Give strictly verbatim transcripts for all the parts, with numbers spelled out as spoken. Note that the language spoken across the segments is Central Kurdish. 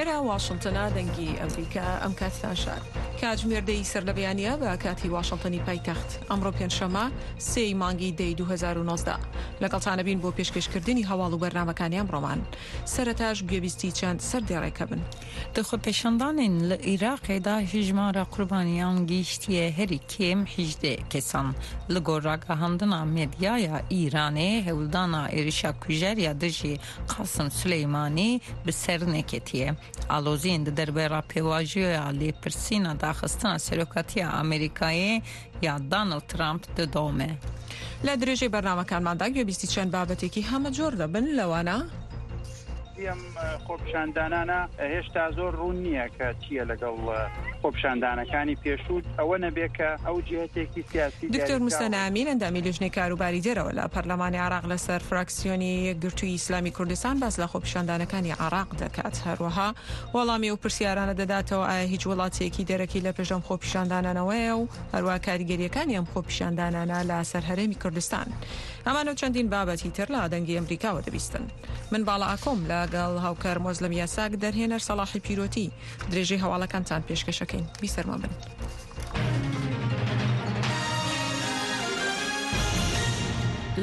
ئێرە واشنتنە، دەنگی ئەمریکا. ئەم کاتتان شاد. کاتژمێر دەی سەر لە بەیانیە بە کاتی واشنتنی پایتەخت. ئەمڕۆ پێنجشەممە سێی مانگی دەی دوو هەزار و نۆزدە. لەگەڵتانە بین بۆ پێشکەشکردنی هەواڵ و بەرنامەکانی ئەمڕۆمان. سەرەتاش گوێبیستی چەند سەردێڕێکە بن. Di xwepêşandanên li Iraqê de hejmara qurbaniyan gihîştiye herî kêm hejdeh kesan. Li gor ragihandina medyaya Îranê hewldana êrişa kujer ya dijî Qasim Suleymanî bi ser neketiye. Aloziyên di derbera pêvajoya lêpirsîna daxistina serokatiya Amerîkayê ya Donald Trump didome. لە درێژەی بەرنامەکانماندا گوێبیستی چەند بابەتێکی هەمە جۆر دەبن، لەوانە ئەم خۆپیشاندانانە هێشتا زۆر ڕوون نییە کە چییە لەگەڵ خۆپیشاندانەکانی پێشوو، ئەوە نەبێ کە ئەو جهتێکی سیاسی. دکتۆر موسەنا ئەمین ئەندامی لیژنەی کاروباری دەرەوە لە پەرلەمانی عێراق لەسەر فراکسیۆنی یەکگرتووی ئیسلامی کوردستان باس لە خۆپیشاندانەکانی عێراق دەکات. هەروەها وەڵامی ئەو پرسیارانە دەداتەوە ئایا هیچ وڵاتێکی دەرەکی لە پێش ئەم خۆپیشاندانانەوەیە و هەروەها کاریگەریەکانی ئەم خۆپیشاندانانە لەسەر هەرێمی کوردستان. ئەمانە و چەندین بابەتی تر لە دەنگی ئەمریکاوە دەبیستن. من باڵا ئاکۆم لەگەڵ هاوکار مۆزلم یاساک، دەرهێنەر سەڵاحی پیرۆتی. درێژەی هەواڵەکانتان پێشکەشەکەین. بیسەرمان بن.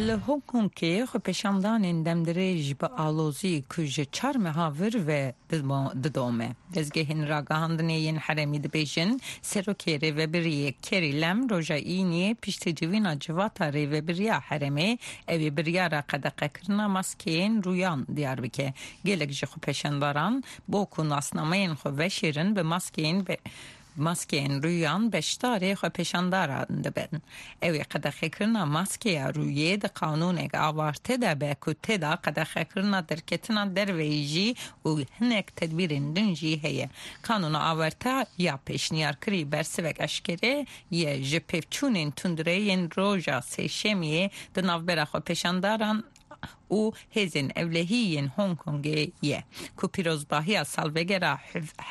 Li Hong Kongê xwepêşandanên demdirêj bi alozî ku ji çar meha vir ve didome. Dezgehên ragihandinê yên herêmî dibêjin Serokê Rêvebiriyê Carrie Lam roja Îniyê piştî civîna civata Rêvebiriya herêmê ew ê biryara qedeqekirina maskeyên rûyan diyar bike. Gelek ji xwepêşandaran bo ku nasnameyên xwe veşêrin bi maskeyên be maskeyên rûyan beşdarê xwepêşandaran dibin. Ew ê qedexekirina maskeya rûyê di qanûnek awarte de be ku tê de qedexekirina derketina derveyî jî û hinek tedbîrên din jî heye. Qanûna awarte ya pêşniyarkirî bersivek eşkere ye ji pevçûnên tundrê yên roja sêşemiyê di navbera xwepêşandaran û hêzên ewlehî yên Hong Kongê ye ku pîrozbahiya salvegera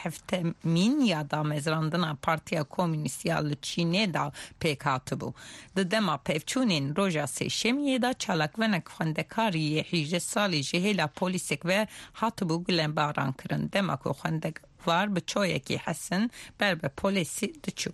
heftemîn ya damezrandina Partiya Komünîst ya li Çînê da pêk hatibû. Di dema pevçûnên roja sêşemiyê de çalakvanek xwendekarî yê hejdeh salî ji hêla polîsek ve hatibû gulebarankirin. Dema ku xwendekar bi çoyekî hesin ber bi polîsî diçû.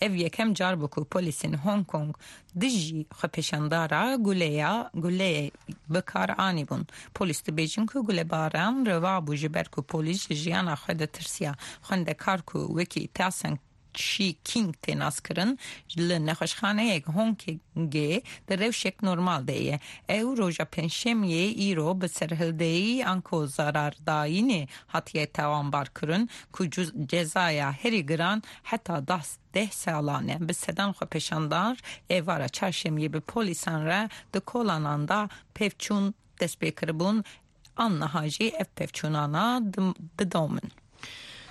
Ev yekem car bû ku polîsên Hong Kong dijî xwepêşandara guleya guleyê bikar anîbûn. Polîs dibêjin ku gulebaran reva bû ji ber ku polîs ji jiyana xwe ditirsiya. Xwendekar ku wekî Tasen Chi King tê naskirin li nexweşxaneyek Hong Kongê di rewşek normal de ye. Ew roja pêncşemiyê îro bi serhildeyî anko zarardayînê hatiye tawanbarkirin ku cezaya herî giran heta deh salan e. Bi sedan xwepêşandar êvara çarşemiyê bi polîsan re di kolanan da pevçûn dest pê kiribûn. An niha jî ev pevçûnana didomin.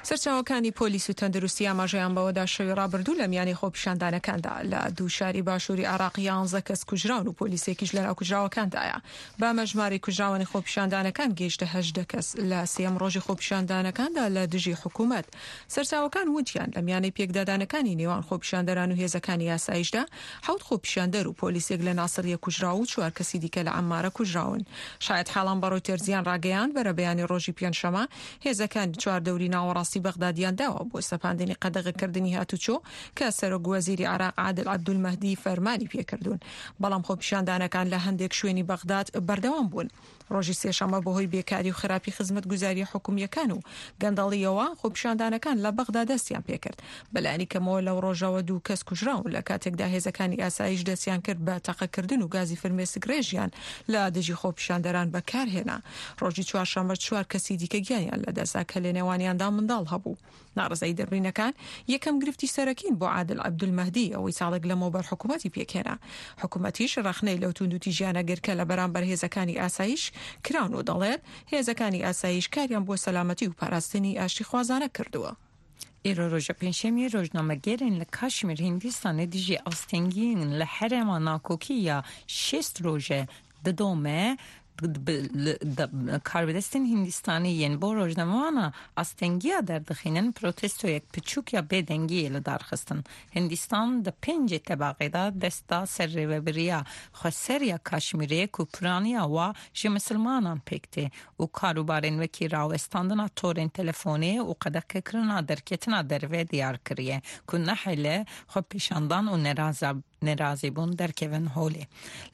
سەرچاوەکانی پۆلیس و تەندروستی ئاماژەیان بەوەدا شەوی ڕابردوو لە میانی خۆپیشاندانەکاندا لە دوو شاری باشووری عێراق یانزە کەس کوژراون و پۆلیسێکیش لەناو کوژراوەکاندایە. بەمە ژمارەی کوژراوانی خۆپیشاندانەکان گەیشتە هەژدە کەس لە سێیەم ڕۆژی خۆپیشاندانەکاندا لە دژی حکوومەت. سەرچاوەکان وتیان لە میانەی پێکدادانەکانی نێوان خۆپیشاندەران و هێزەکانی یاسایشدا حەوت خۆپیشاندەر و پۆلیسێک لە ناسریە کوژراو و چوار کەسی دیکە لە عەمارە کوژراون. شایەت حاڵان بە ڕۆیتەرزیان ڕاگەیاند بەرەبەیانی ڕۆژی پێنجشەممە هێزەکان چواردەوری ناوەڕاستی بەغدادیان داوە بۆ سەپاندنی قەدەغەکردنی هاتوچۆ کە سەرۆک وەزیری عێراق عادل عەبدولمەهدی فەرمانی پێکردوون. بەڵام خۆپیشاندانەکان لە هەندێک شوێنی بەغداد بەردەوام بوون. ڕۆژی سێشەممە بەهۆی بێکاری و خراپی خزمەتگوزاری حکومیەکان و گەندەڵیەوە خۆپیشاندانەکان لە بەغدا دەستیان پێکرد. بەلایەنی کەمەوە لەو ڕۆژەوە دوو کەس کوژراون لە کاتێکدا هێزەکانی ئاسایش دەستیان کرد بە تەقەکردن و گازی فرمێسکڕێژیان لە دژی خۆپیشاندەران بەکارهێنا. ڕۆژی چوارشەممە چوار کەسی دیکە گیانیان لەدەستدا کە لەنێوانیاندا منداڵ هەبوو. ناڕەزایی دەربڕینەکان یەکەم گرفتی سەرەکین بۆ عادل عەبدولمەهدی ئەوەی ساڵێک لەمەوبەر حکوومەتی پێکهێنا. حکوومەتیش ڕەخنەی لەو توندوتیژیانە گرت کە لە بەرامبەر هێزەکانی ئاسایش کراون و دەڵێت هێزەکانی ئاسایش کاریان بۆ سەلامەتی و پاراستنی ئاشتیخوازانە کردووە. Îro roja pêncşemiyê rojnamegerên li Kaşmîr Hindistanê dijî astengiyên li herêma nakokî ya şêst roje didome Karbidestên Hindistanî yên bo rojnamevana astengiya derdixînin protestoyek piçûk ya bêdengiyê li dar xistin. Hindistan di pêncê tebaxê de dest da ser rêveberiya xweser ya Kaşmîrê ku piraniya wa ji misilmanan pêk tê û karûbarên wekî rawestandina torên telefonê û qedexekirina derketina derve diyar kiriye ku nehêle xwepêşandan û neraza nerazîbûn derkevin holê.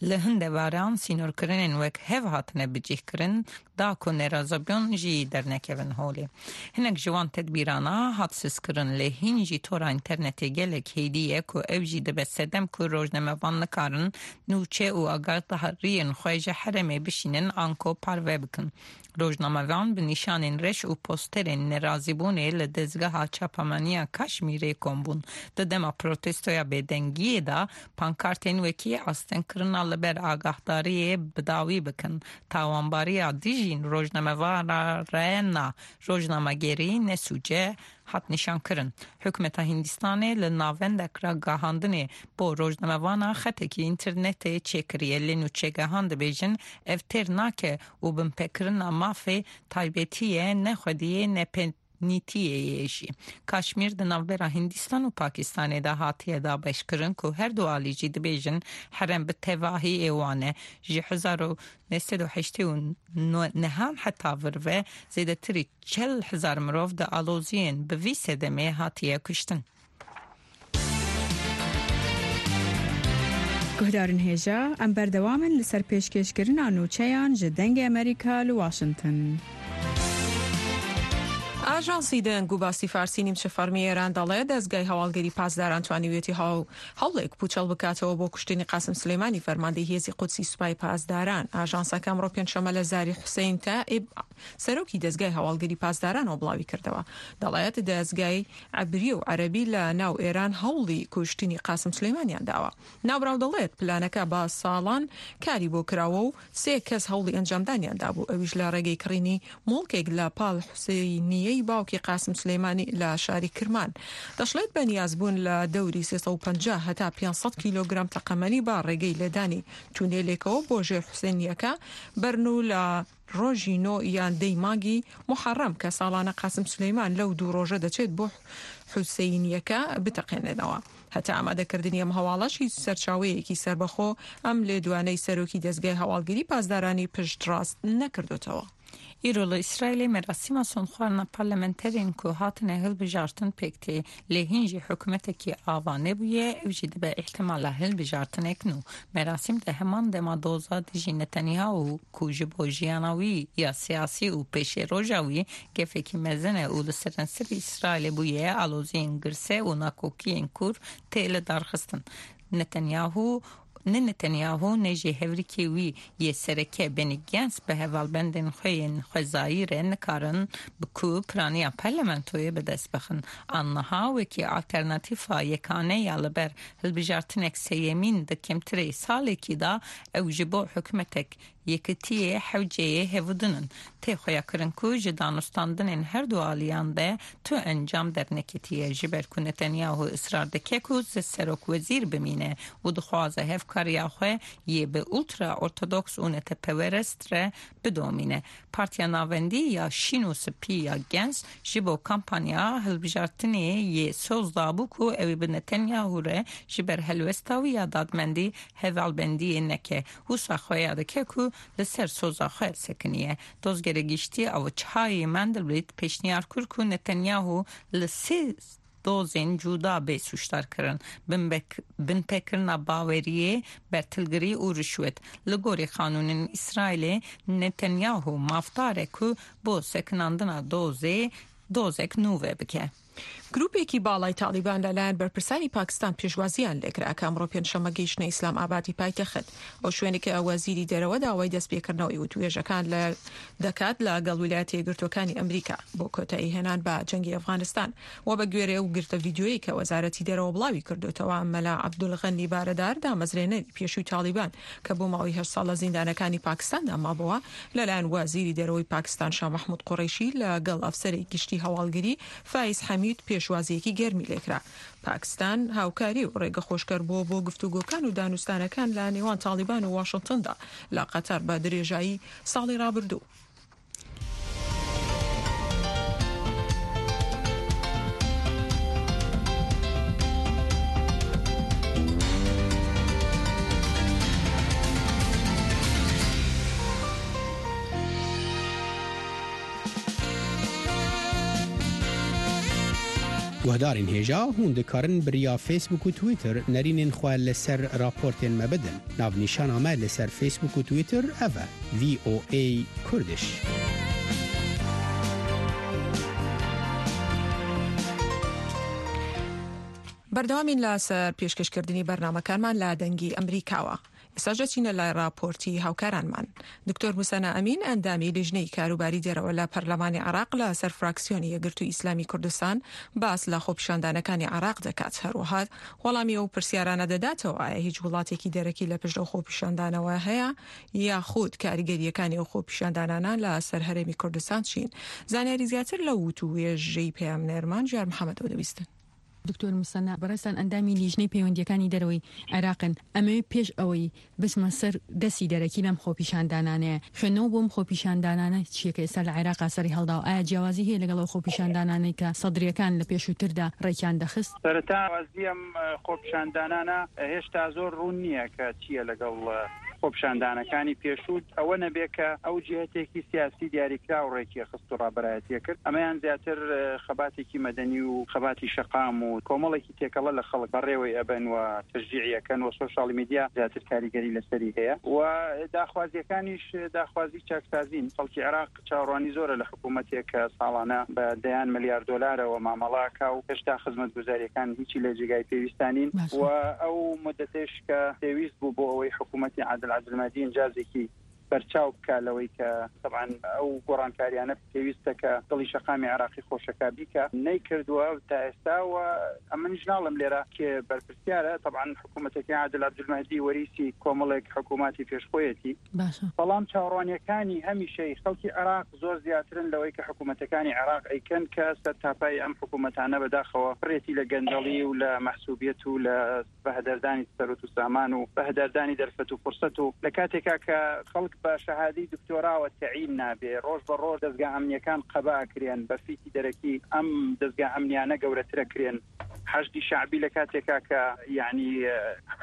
Li hin devaran sînorkirinên wek hev hatine bicihkirin da ku nerazîbûn jî dernekevin holê. Hinek ji wan tedbîrana hat sizkirin lê hîn jî tora înternetê gelek hêdî ye ku ew jî dibe sedem ku rojnamevan nikarin nûçe û agahdariyên xwe ji herêmê bişînin anko parve bikin. Rojnamevan bi nîşanên reş û posterên nerazîbûnê li dezgeha çapemeniya Kaşmîrê kom bûn. Di dema protestoya bêdengiyê de pankartên wekî astengkirina li ber agahdariyê bi dawî bikin. Tawanbariya dijîn rojnamevana re na rojnamegerî ne sûc e hat nîşankirin. Hikûmeta Hindistanê li navendek ragihandinê bo rojnamevana xetekî înternetê çêkiriye lê nûçegehan dibêjin ev têr nake û binpêkirina mafê taybetiyê ne xwediyê ne nîtiyê ye jî. Kaşmîr di navbera Hindistan û Pakistanê de hatiye dabeşkirin ku her du alî jî dibêjin herem bi tevahî ê wan e. Ji hezar û neh sed û heştê û nehan heta vir ve zêdetirî çel hezar mirov di aloziyên bi vî sedemê hatiye kuştin. Guhdarên hêja, em berdewam in li ser pêşkêşkirina nûçeyan ji Dengê Amerîka li Washington. ئاژانسی دەنگ و باسی فارسی نیمچە فەرمی ئێران دەڵێ دەزگای هەواڵگری پاسداران توانیویەتی هەوڵێک پوچەڵ بکاتەوە بۆ کوشتنی قاسم سلێمانی فەرماندەی هێزی قودسی سوپای پاسداران. ئاژانسەکە ئەمڕۆ پێنجشەممە لە زاری حوسەین تائیب سەرۆکی دەزگای هەواڵگری پاسدارانەوە بڵاوی کردەوە. دەڵێت دەزگای عەبری و عەرەبی لە ناو ئێران هەوڵی کوشتنی قاسم سلێمانیان داوە. ناوبراو دەڵێت پلانەکە بە ساڵان کاری بۆ کراوە و سێ کەس هەوڵی ئەنجامدانیان دابوو، ئەویش لە ڕێگەی کڕینی موڵکێک لە پاڵ حوسەینیەی باوکی قاسم سلێمانی لە شاری کرمان. دەشڵێت بەنیاز بوون لە دەوری سێ سەد و پەنجا هەتا پێنج سەد کیلۆگرام تەقەمەنی با ڕێگەی لێدانی تونێلێکەوە بۆ ژێر حوسێنیەکە بەرن و لە ڕۆژی نۆ یان دەی مانگی موحەڕەم کە ساڵانە قاسم سلێمان لەو دوو ڕۆژە دەچێت بۆ حوسەینیەکە بتەقێنێنەوە. هەتا ئامادەکردنی ئەم هەواڵەش هیچ سەرچاوەیەکی سەربەخۆ ئەم لێدوانەی سەرۆکی دەزگای هەواڵگری پاسدارانی پشتڕاست نەکردوتەوە. Îro li Îsraîlê merasîma sonxwarina parlamenterên ku hatine hilbijartin pêk tê lê hîn jî hikûmetekî ava nebûye ew jî dibe îhtimala hilbijartinek nû. Merasîm di heman dema doza dijî Netanyahu ku ji bo jiyana wî ya siyasî û pêşeroja wî gefekî mezin e û li seranserî Îsraîlê bûye aloziyên girse û nakokiyên kûr tê li darxistin. Netanyahu ne Netanyahu ne jî hevrikê wî yê sereke Benny Gantz bi hevalbendên xwe yên xwezayî re nikarin bi ku piraniya parlamentoyê bi dest bixin. An niha wekî alternatîfa yekane ya li ber hilbijartinek sêyemîn di kêmtirê salekî de ew ji bo hikûmetek yekitiyê hewceyê hevûdin in. Tê xuyakirin ku ji danûstandinên her du aliyan de tu encam derneketiye ji ber ku Netanyahu israr dike ku serokwezîr bimîne û dixwaze hevkariya xwe yê bi ultra ortodoks û netepewerest re bidomîne. Partiya navendî ya şîn û spî ya Gantz ji bo kampanya hilbijartinê yê soz dabû ku ew ê bi Netanyahu re ji ber helwesta wî ya dadmendî hevalbendiyê neke. Wisa xuya dike ku li ser soza xwe sekiniye. Dozgerê giştî Avichai Mandelblit pêşniyar kir ku Netanyahu li sê dozên cuda bê sûcdar kirin. Binpêkirina baweriyê, bertilgirî û rişwet. Li gorî qanûnên Îsraîlê Netanyahu mafdar e ku bo sekinandina dozê dozek nû vebike. گروپێکی باڵای تاڵیبان لەلایەن بەرپرسانی پاکستان پێشوازیان لێکرا کە ئەمڕۆ پێنجشەممە گەیشتنە ئیسلام ئابادی پایتەخت. ئەو شوێنێک کە وەزیری دەرەوە داوای دەستپێکردنەوەی وتوێژەکان لە دەکات لەگەڵ ویلایەتە یەکگرتووەکانی ئەمریکا بۆ کۆتایی هێنان بە جەنگی ئەفغانستان و بە گوێرەی ئەو گرتە ڤیدیۆیی کە وەزارەتی دەرەوە بڵاوی کردوتەوە مەلا عەبدولغەنی بارەدار دامەزرێنەری پێشووی تاڵیبان کە بۆ ماوەی هەشت ساڵ لە زیندانەکانی پاکستاندا مابووە لەلایەن وەزیری دەرەوەی پاکستان شا مەحمود قوڕەیشی لەگەڵ ئەفسەری گشتی هەواڵگری فایز حەمید حەمید پێشوازییەکی گەرمی لێکرا. پاکستان هاوکاری و ڕێگەخۆشکەر بووە بۆ گفتوگۆکان و دانوستانەکان لە نێوان تاڵیبان و واشنتندا لە قەتەر بە درێژایی ساڵی ڕابردوو. Guhdarên hêja hûn dikarin bi riya Facebook û Twitter nerînên xwe li ser raportên me bidin. Navnîşana me li ser Facebook û Twitter ev e: V O A Kurdish. بەردەوامین لەسەر پێشکەشکردنی بەرنامەکانمان لە دەنگی ئەمریکاوە. ئێستاش دەچینە لای راپۆرتی هاوکارانمان. دکتۆر موسەنا ئەمین، ئەندامی لیژنەی کاروباری دەرەوە لە پەرلەمانی عێراق لە سەر فراکسیۆنی یەکگرتووی ئیسلامی کوردستان، باس لە خۆپیشاندانەکانی عێراق دەکات. هەروەها وەڵامی ئەو پرسیارانە دەداتەوە ئایا هیچ وڵاتێکی دەرەکی لە پشت ئەو خۆپیشاندانەوە هەیە یاخود کاریگەریەکانی ئەو خۆپیشاندانانە لە سەر هەرێمی کوردستان چین. زانیاری زیاتر لە وتوێژەی پەیامنێرمان ژیار محەممەدەوە دەبیستن. دکتۆر موسەنا، بەڕێزتان ئەندامی لیژنەی پەیوەندیەکانی دەرەوەی عێراقن. ئەمەوێ پێش ئەوەی بچمە سەر دەستی دەرەکی لەم خۆپیشاندانانەیە، خوێندنەوە بۆم خۆپیشاندانانە چییە کە ئێستا لە عێراقا سەری هەڵداوە؟ ئایا جیاوازی هەیە لەگەڵ ئەو خۆپیشاندانانەی کە سەدریەکان لە پێشووتردا ڕێکیان دەخست؟ سەرەتا وازی ئەم خۆپیشاندانانە هێشتا زۆر ڕوون نییە کە چییە لەگەڵ خۆپیشاندانەکانی پێشوو، ئەوە نەبێ کە ئەو جهتێکی سیاسی دیاریکراو ڕێکی خست و ڕابەرایەتیە کرد. ئەمەیان زیاتر خەباتێکی مەدەنی و خەباتی شەقام و کۆمەڵێکی تێکەڵە لە خەڵک بەڕێوەی ئەبەن و تەشجیعیەکەن و سۆشیال میدیا زیاتر کاریگەری لەسەری هەیە و داخوازیەکانیش داخوازی چاکسازین. خەڵکی عێراق چاوەڕوانی زۆرە لە حکوومەتێک کە ساڵانە بە دەیان ملیار دۆلارەوە مامەڵاکا و هێشتا خزمەتگوزاریەکان هیچی لە جێگای پێویستانین و ئەو مدەتێش کە پێویست بوو بۆ ئەوەی حکوومەتی عادل عەبدولمەهدی ئینجازێکی بەرچاو بکە لەوەی کە طبعا ئەو گۆڕانکاریانە پێویستە کە دڵی شەقامی عێراقی خۆشەکە بیکە، نەیکردووە تا ئێستا. و ئەمنیش ناڵم لێرە کێ بەرپرسیارە. طبعا حکوومەتەکەی عادل عەبدولمەهدی وەریسی کۆمەڵێک حکوومەتی پێشخۆیەتی، بەڵام چاوەڕوانیەکانی هەمیشەی خەڵکی عێراق زۆر زیاترن لەوەی کە حکوومەتەکانی عێراق ئەیکەن کە سەرتاپای ئەم حکوومەتانە بەداخەوە پڕێتی لە گەندەڵی و لە مەحسوبیەت و لە بەهدەردانی سەروەت و سامان و بەهدەردانی دەرفەت و فرسەت و لە کاتێکا کە خەڵک بە شەهادەی دکتۆراوە تەعین نابێ، ڕۆژ بە ڕۆژ دەزگا ئەمنیەکان قەبا ئەکرێن بە فیتی دەرەکی، ئەم دەزگا ئەمنیانە گەورەترە کرێن. حەشدی شەعبی لە کاتێکا کە یعنی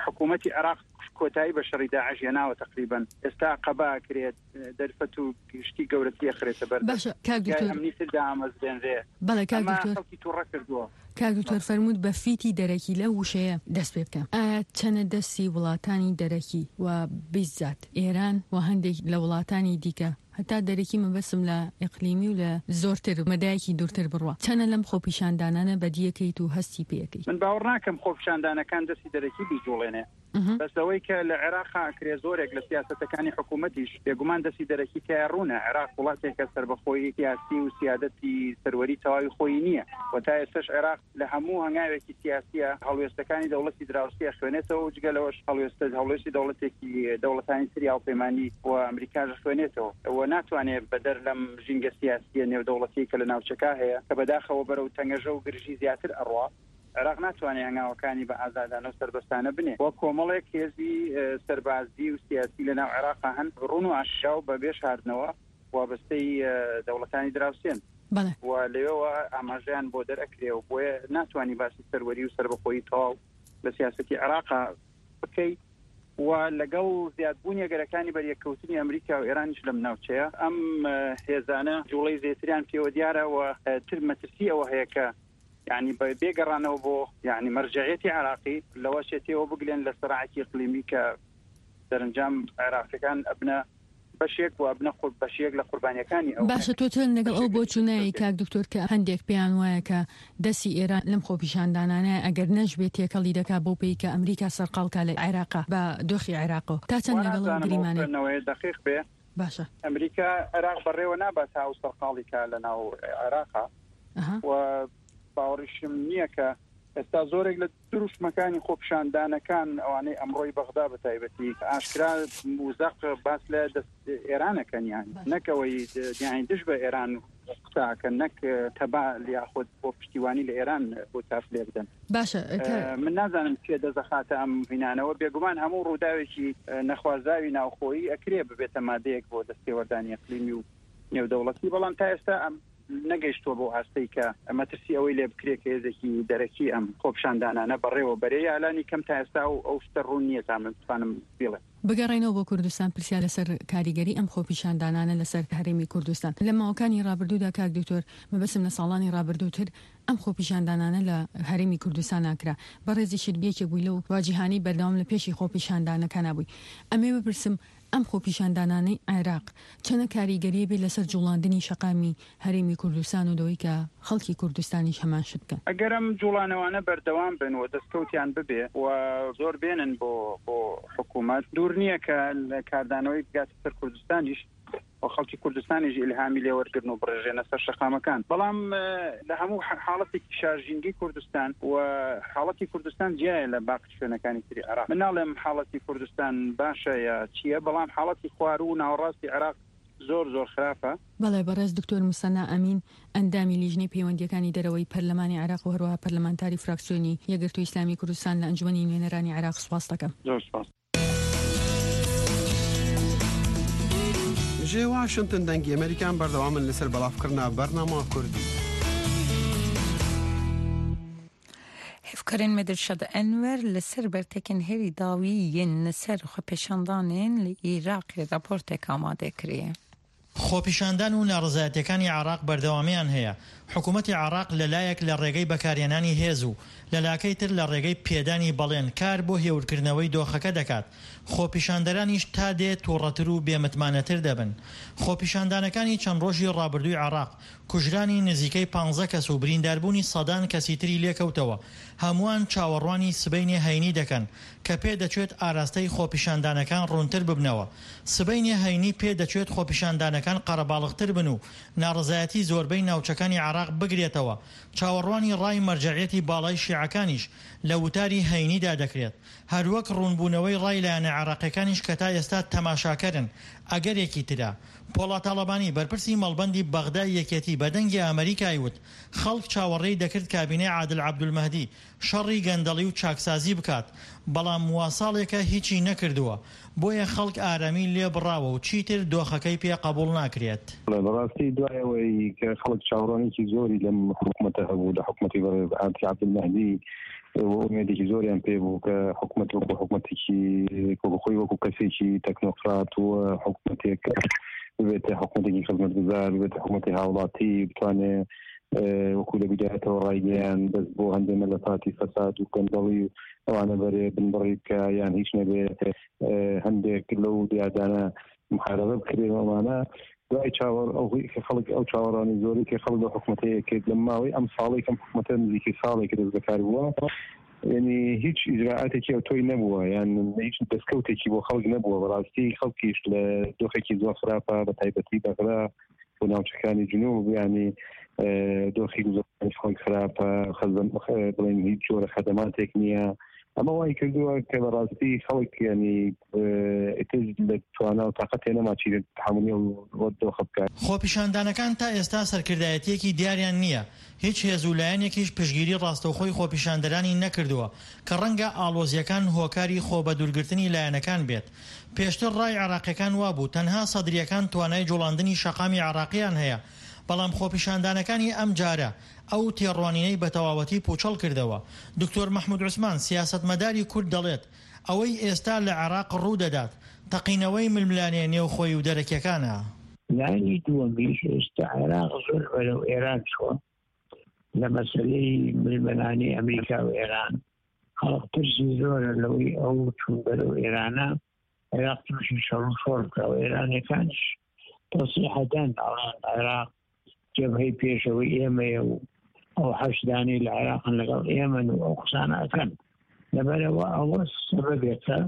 حکوومەتی عێراق کۆتایی بە شەڕی داعش هێناوە تقریبا ئێستا قەبا ئەکرێت، دەرفەت و گشتی گەورەتری ئەخرێتە بەر. باشە کاک دکتۆر، ئەمنی تر دامەزرێنرێ. بەڵێ کاک دکتۆر، خەڵکی تووڕە کردووە. کاک دکتۆر فەرمووت بە فیتی دەرەکی لەو وشەیە دەست پێ بکەم. ئایا چەنە دەستی وڵاتانی دەرەکی و بیزات ئێران و هەندێک لە وڵاتانی دیکە، هەتا دەرەکی مەبەستم لە ئیقلیمی و لە زۆرتر مەدایەکی دوورتر بڕوە، چەنە لەم خۆپیشاندانانە بەدیەکەیت و هەستی پێەکەیت؟ من باوەڕ ناکەم خۆپیشاندانەکان دەستی دەرەکی بیجوڵێنێ. بەس ئەوەی کە لە عێراق ئەکرێ زۆرێک لە سیاسەتەکانی حکوومەتیش بێگومان دەستی دەرەکی تیا ڕوونە. عێراق وڵاتێکە سەربەخۆی سیاسی و سیادەتی سەروەری تەواوی خۆی نییە و تا ئێستاش عێراق لە هەموو هەنگاوێکی سیاسیە هەڵوێستەکانی دەوڵەتی دراوسیە خوێنێتەوە و جگە لەوەش هەڵوێستە هەڵوێستی دەوڵەتێکی دەوڵەتانی تری هاوپەیمانی و ئەمریکاش خوێنێتەوە و ناتوانێت بەدەر لەم ژینگە سیاسیە نێودەوڵەتی کە لە ناوچەکە هەیە کە بەداخەوە بەرەو تەنگەژە و گرژی زیاتر ئەڕوا، عێراق ناتوانێت هەنگاوەکانی بە ئازادانە و سەربەستانە بنێ و کۆمەڵێک هێزی سەربازی و سیاسی لەناو عێراق هەن ڕوون و ئاشکرا و بەبێ شاردنەوە وابەستەی دەوڵەتانی دراوسێن و لەوێوە ئاماژەیان بۆ دەرئەکرێ و بۆیە ناتوانانی باسی سەروەری و سەربەخۆیی تەواو لە سیاسەتی عێراق بکەی. و لەگەڵ زیادبوونی ئەگەرەکانی بەریەککەوتنی ئەمریکا و ئێرانیش لەم ناوچەیە، ئەم هێزانە جوڵەی زێتریان پێوە دیارە و تر مەترسی ئەوە هەیە کە یعنی بێگەڕانەوە بۆ یعنی مەرجعیەتی عێراقی لەوە شێتەوە بگلێن لە سەراعێکی ئیقلیمی کە دەرەنجام عێراقیەکان ئەبنە بەشێک و ئەبنە بەشێک لە قوربانیەکانی ئەو. باشە تۆ چۆن لەگەڵ ئەو بۆچوونەی کاک دکتۆر کە هەندێک پێیان وایە کە دەستی ئێران لەم خۆپیشاندانانە ئەگەر نەشبێت تێکەڵی دەکا بۆ پێی کە ئەمریکا سەرقاڵکا لە عێراقا بە دۆخی عێراقەوە، تا چەند لەگەڵ ئەو گریمانەیە دقیق بێ؟ باشە ئەمریکا عێراق بەڕێوە نابات تا ئەو سەرقاڵی کا لە ناو عێراقا و باوەڕیشم نییە کە ئێستا زۆرێک لە دروشمەکانی خۆپیشاندانەکان ئەوانەی ئەمڕۆی بەغدا بە تایبەتی ئاشکرا و زەق باس لە ئێرانەکەن، یان نەکەوەی یانی دژ بە ئێران قساکەن، نەک تەبا یاخود بۆ پشتیوانی لە ئێران بۆ تاف لێ بدەن. باشە، من نازانم کێ دەزەخاتە ئەم هینانەوە. بێگومان هەموو ڕووداوێکی نەخوازاوی ناوخۆیی ئەکرێ ببێتە مادەیەک بۆ دەستێوەردانی ئەقلیمی و نێودەوڵەتی، بەڵام تا ئێستا ئەم نەگەیشتووە بۆ ئاستەی کە مەترسی ئەوەی لێ بکرێت کە هێزێکی دەرەکی ئەم خۆپیشاندانانە بەڕێوە بەرێ، یا لانی کەم تا ئێستا ئەو ئەو شتە ڕوون نییە تا من بتوانم بیڵێم. بگەڕێنەوە بۆ کوردستان، پرسیار لەسەر کاریگەری ئەم خۆپیشاندانانە لەسەر هەرێمی کوردستان لە ماوەکانی ڕابردوودا. کاک دکتۆر، مەبەستم لە ساڵانی ڕابردووتر ئەم خۆپیشاندانانە لە هەرێمی کوردستان ناکرا، بەڕێزیشت یەکێک بووی لەو واجیهانەی بەردەوام لە پێشی خۆپیشاندانەکانە بووی. ئەمێ بپرسم ئەم خۆپیشاندانانەی عێراق چەنە کاریگەریە بێت لەسەر جوڵاندنی شەقامی هەرێمی کوردستان و دەوەی کە خەڵکی کوردستانیش هەمان شت بکەن؟ ئەگەر ئەم جوڵانەوانە بەردەوام بن و دەستکەوتیان ببێ و زۆر بێنن بۆ بۆ حکوومەت، دوور نییە کە کاردانەوەی بگاتە سەر کوردستانیش و خەڵکی کوردستانیش ئیلهامی لێوەرگرن و بڕێژێنە سەر شەقامەکان. بەڵام لە هەموو حاڵەتێکی شارژینگەی کوردستان و حاڵەتی کوردستان جیایە لە باقی شوێنەکانی تری عێراق. من ناڵێم حاڵەتی کوردستان باشە یا چییە، بەڵام حاڵەتی خوارو و ناوەڕاستی عێراق زۆر زۆر خراپە. بەڵێ، بەڕێز دکتۆر موسەنا ئەمین، ئەندامی لیژنەی پەیوەندیەکانی دەرەوەی پەرلەمانی عێراق و هەروەها پەرلەمانتاری فراکسیۆنی یەکگرتووی ئیسلامی کوردستان لە ئەنجومەنی نوێنەرانی عێراق، سوپاس دەکەم. زۆر سوپاس. Ji Washington Dengê Amerîka berdewam in li ser belavkirina bernama Kurdî. Hevkarên me Dilşad Enwer li ser bertekên herî dawî yên li ser xwepêşandanên li Iraqê raportek amade kiriye. خۆپیشاندان و ناڕەزایەتیەکانی عێراق بەردەوامیان هەیە. حکوومەتی عێراق لەلایەک لە ڕێگەی بەکارهێنانی هێز و لەلاکەی تر لە ڕێگەی پێدانی بەڵێن کار بۆ هێورکردنەوەی دۆخەکە دەکات. خۆپیشاندەرانیش تا دێ تووڕەتر و بێمتمانەتر دەبن. خۆپیشاندانەکانی چەند ڕۆژی ڕابردووی عێراق کوژرانی نزیکەی پانزە کەس و برینداربوونی سەدان کەسی تری لێکەوتەوە. هەمووان چاوەڕوانی سبەینێ هەینی دەکەن کە پێ دەچێت ئاراستەی خۆپیشاندانەکان ڕوونتر ببنەوە. سبەینێ هەینی پێ دەچێت خۆپیشاندانەکان قەرەباڵغتر بن و ناڕەزایەتی زۆربەی ناوچەکانی عێراق بگرێتەوە. چاوەڕوانی ڕای مەرجەعیەتی باڵای شیعەکانیش لە وتاری هەینیدا دەکرێت، هەروەک ڕوونبوونەوەی ڕای لایەنە عێراقیەکانیش کە تا ئێستا تەماشاکەرن ئەگەرێکی ترە. پۆڵا تاڵەبانی بەرپرسی مەڵبەندی بەغدای یەکێتی بە دەنگی ئەمریکای وت خەڵک چاوەڕێی دەکرد کابینەی عادل عەبدولمەهدی شەڕی گەندەڵی و چاکسازی بکات، بەڵام واساڵێکە هیچی نەکردووە، بۆیە خەڵک ئارامی لێ بڕاوە و چیتر دۆخەکەی پێ قبوڵ ناکرێت. بەڕاستی دوای ئەوەی کە خەڵک چاوەڕوانێکی زۆری لەم حکوومەتە هەبوو، لە حکوومەتی بەڕێز عادل عەبدولمەهدی، ئومێدێکی زۆریان پێ بوو کە حکوومەت وەکو حکوومەتێکی وەکو خۆی وەکو کەسێکی تەکنۆکرات و حکوومەتێک ببێتە حکوومەتێکی خزمەتگوزار، ببێتە حکوومەتی هاوڵاتی، بتوانێت وەکو لە بیدایەتەوە ڕایگەیان بەس بۆ هەندێک مەلەفاتی فەساد و گەندەڵی و ئەوانە بەرێ بنبڕی بکە یان هیچ نەبێ هەندێک لەو دیاردانە محاربە بکرێن ئەوانە. دوای چاوەڕ ئەو کە خەڵک ئەو چاوەڕوانی زۆری کە خەڵک لەو حکوومەتەیە کرد لە ماوەی ئەم ساڵەی کەم حکوومەتە نزیکەی ساڵێک دەست بەکار بووە، یعنی هیچ ئیجراعاتێکی ئەوتۆی نەبووە، یان هیچ دەستکەوتێکی بۆ خەڵک نەبووە. بەڕاستی خەڵکیش لە دۆخێکی زۆر خراپە، بە تایبەتی بەغدا و ناوچەکانی جنوب، یعنی دۆخی گوزەرانی خەڵک خراپە، بڵێن هیچ جۆرە خەدەماتێک نییە. ئەمە وای کردووە کە بەڕاستی خەڵک ینی ئیتر لە توانا و تاقەتێ نەما چی تەحەمولی ئەو دۆخە بکات. خۆپیشاندانەکان تا ئێستا سەرکردایەتیەکی دیاریان نییە. هیچ هێز و لایەنێکیش پشتگیری ڕاستەوخۆی خۆپیشاندەرانی نەکردووە کە ڕەنگە ئاڵۆزیەکان هۆکاری خۆ بەدوورگرتنی لایەنەکان بێت. پێشتر ڕای عێراقیەکان وابوو تەنها سەدریەکان توانای جوڵاندنی شەقامی عێراقیان هەیە، بەڵام خۆپیشاندانەکانی ئەم جارە ئەو تێڕوانینەی بەتەواوەتی پوچەڵ کردەوە. دکتۆر مەحمود عوسمان سیاسەتمەداری کورد دەڵێت ئەوەی ئێستا لە عێراق ڕوو دەدات تەقینەوەی ململانێ نێوخۆی و دەرەکیەکانە. لایەنی دووەمیش ئێستا عێراق زۆر بەرەو ئێران چووە لە مەسەلەی ململانێی ئەمریکا و ئێران. خەڵک ترسی زۆرە لەوەی ئەو چوون بەرەو ئێرانە عێراق تووشی شەڕ و شۆڕ بکە و ئێرانەکانیش تەسریحەدان ئەڵێن عێراق جەبهەی پێشەوەی ئێمەیە و ئەو حەشدانەی لە عێراقن لەگەڵ ئێمەن و ئەو قسانە ئەکەن. لەبەرەوە ئەوە سەبەبێکە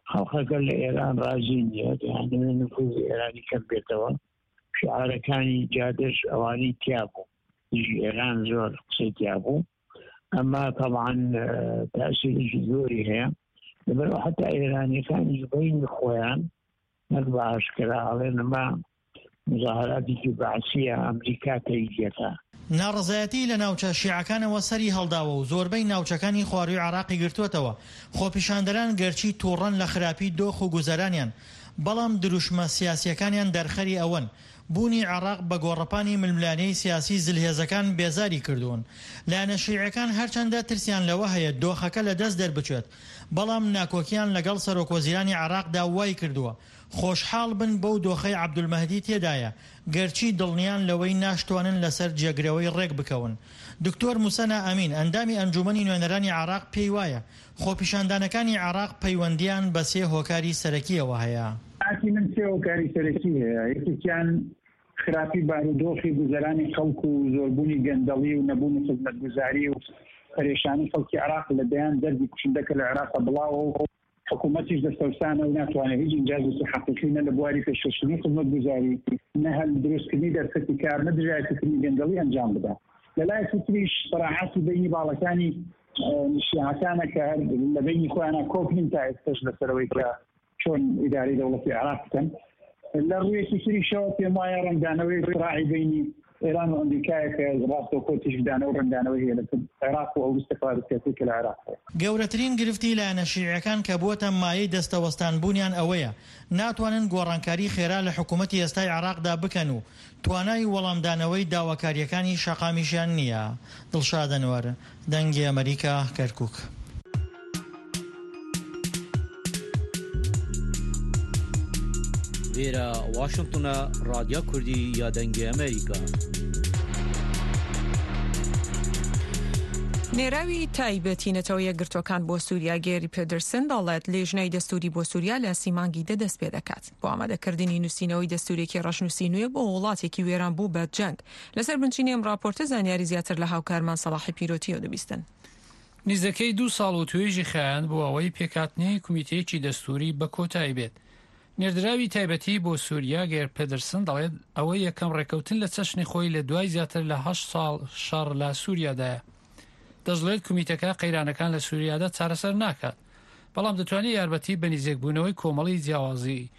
خەڵکەکە لە ئێران ڕازی نییە، یان نفوذی ئێرانی کەم بێتەوە. شعارەکانی جادەش ئەوانەی تیا بوو دژی ئێران زۆر قسەی تیا بوو. ئەمە تەبعەن تەئسیرێکی زۆری هەیە. لەبەرئەوە حەتا ئێرانیەکانیش بەینی خۆیان نەک بە ئاشکرا ئەڵێن ئەمە مزاهراتێکی بەعسیە ئەمریکا تەیجەکە. ناڕەزایەتی لە ناوچە شیعەکانەوە سەری هەڵداوە و زۆربەی ناوچەکانی خوارووی عێراقی گرتووەتەوە، خۆپیشاندەران گەرچی تووڕەن لە خراپی دۆخ و گوزەرانیان، بەڵام دروشمە سیاسییەکانیان دەرخەری ئەوەن بوونی عێراق بە گۆڕەپانی ململانێی سیاسی زلهێزەکان بێزاری کردوون. لایەنە شیعیەکان هەرچەندە ترسیان لەوە هەیە دۆخەکە لەدەست دەربچێت، بەڵام ناکۆکیان لەگەڵ سەرۆکوەزیرانی عێراقدا وایکردووە خۆشحاڵ بن بەو دۆخەی عەبدولمەهدی تێدایە، گەرچی دڵنیان لەوەی ناشتوانن لەسەر جێگرەوەی ڕێکبکەون. دکتۆر موسەنا ئەمین، ئەندامی ئەنجوومەنی نوێنەرانی عێراق پێیوایە، خۆپیشاندانەکانی عێراق پەیوەندییان بە سێ هۆکاری سەرەکییەوە هەیە. قەناعەتی من سێ هۆکاری سەرەکی هەیە، یەکێکیان خراپی بارودۆخی گوزەرانی خەڵک و زۆربوونی گەندەڵی و نەبوونی خزمەتگوزاری و پەرێشانی خەڵکی عێراق لە دەیان دەردی کوشندە کە لە عێراقا بڵاوە و حکوومەتیش دەستەوسانە و ناتوانێت هیچ ئینجازێکی حەقیقی نە لە بواری پێشکەشکردنی خزمەتگوزاری، نە هەل دروستکردنی دەرفەتی کار، نە دژایەتیکردنی گەندەڵی ئەنجام بدا. لە لایەکی تریش سەراحەتی بەینی باڵەکانی شیعەکانە کە هەر لە بەینی خۆیانا کۆک نین تا ئێستەش لەسەر ئەوەی کە چۆن ئیدارەی دەوڵەتی عێراق بکەن. لە ڕوویەکی تریشەوە پێم وایە ڕەنگدانەوەی سراعی بەینی ئێران و ئەمریکایە کە ڕاستەوخۆ تیشکدانەوە و ڕەنگدانەوەی هەیە لەسەر عێراق و ئەو ئیستقرار سیاسیەی کە لە عێراق هەیە. گەورەترین گرفتی لایەنە شیعیەکان کە بووەتە مایەی دەستەوەستان بوونیان ئەوەیە ناتوانن گۆڕانکاری خێرا لە حکوومەتی ئێستای عێراقدا بکەن و توانای وەڵامدانەوەی داواکارییەکانی شەقامیشیان نییە. دڵشاد ئەنوەر، دەنگی ئەمەریکا، کەرکوک. لێرە واشنتنە ڕادیا کوردی یا دەنگی ئەمریکا. نێراوی تایبەتی نەتەوە یەکگرتووەکان بۆ سووریا گێری پێدرسن دەڵێت لیژنەی دەستوری بۆ سووریا لە سی مانگی دە دەست پێ دەکات بۆ ئامادەکردنی نووسینەوەی دەستورێکی ڕەشنووسی نوێ بۆ وڵاتێکی وێران بوو بە جەنگ. لەسەر بنچینەی ئەم ڕاپۆرتە زانیاری زیاتر لە هاوکارمان سەڵاحی پیرۆتیەوە دەبیستن. نزیکەی دوو ساڵ وتوێژی خایاند بۆ ئەوەی پێکهاتنی کومیتەیەکی دەستوری بە کۆتایی بێت. نێردراوی تایبەتی بۆ سووریا گێر پێدرسن دەڵێت ئەوە یەکەم ڕێککەوتن لە چەشنی خۆی لە دوای زیاتر لە هەشت ساڵ شەڕ لە سووریادایە. دەشڵێت کومیتەکە قەیرانەکان لە سووریادا چارەسەر ناکات، بەڵام دەتوانێت یارمەتی بە نزیکبوونەوەی کۆمەڵی جیاوازی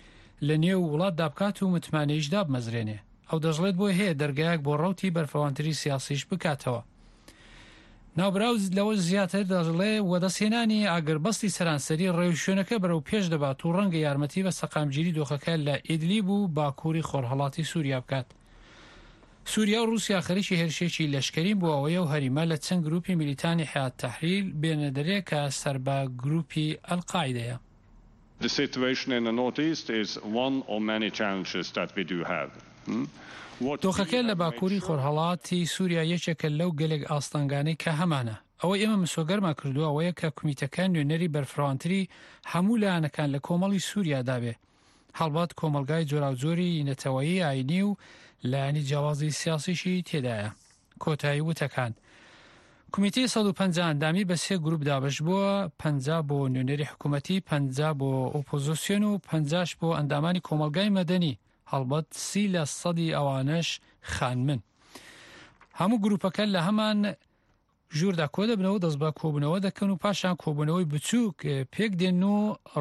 لە نێو وڵاتدا بکات و متمانەیش دابمەزرێنێ. ئەو دەشڵێت بۆی هەیە دەرگایەک بۆ ڕەوتی بەرفەوانتری سیاسیش بکاتەوە. ناوبراو لەوە زیاتر دەڵێ وەدەستهێنانی ئاگربەستی سەرانسەری ڕێوشوێنەکە بەرەو پێش دەبات و ڕەنگە یارمەتی بە سەقامگیری دۆخەکە لە ئیدلیب و باکووری خۆرهەڵاتی سووریا بکات. سووریا و ڕووسیا خەریکی هێرشێکی لەشکرین بۆ ئەوەی ئەو هەریمە لە چەند گروپی میلیتانی حیات تەحریر بێنە دەرێ کە سەر بە گروپی ئەلقاعیدەیە. The situation in the Northeast is one of many challenges that we do have. دۆخەکە لە باکووری خۆرهەڵاتی سووریا یەکێکە لەو گەلێک ئاستەنگانەی کە هەمانە. ئەوەی ئێمە مسۆگەرمان کردووە ئەوەیە کە کومیتەکە نوێنەری بەرفراوانتری هەموو لایەنەکان لە کۆمەڵی سووریادا بێ. هەڵبەت کۆمەڵگای جۆراوجۆری نەتەوەیی، ئاینی و لایەنی جیاوازی سیاسیشی تێدایە. کۆتایی وتەکان. کومیتەی سەد و پەنجا ئەندامی بە سێ گروپ دابەش بووە، پەنجا بۆ نوێنەری حکوومەتی، پەنجا بۆ ئۆپۆزیسیۆن و پەنجاش بۆ ئەندامانی کۆمەڵگای مەدەنی، هەڵبەت سی لە سەدی ئەوانەش خانمن. هەموو گروپەکە لە هەمان ژووردا کۆ دەبنەوە، دەست بە کۆبوونەوە دەکەن و پاشان کۆبوونەوەی بچووک پێک دێن و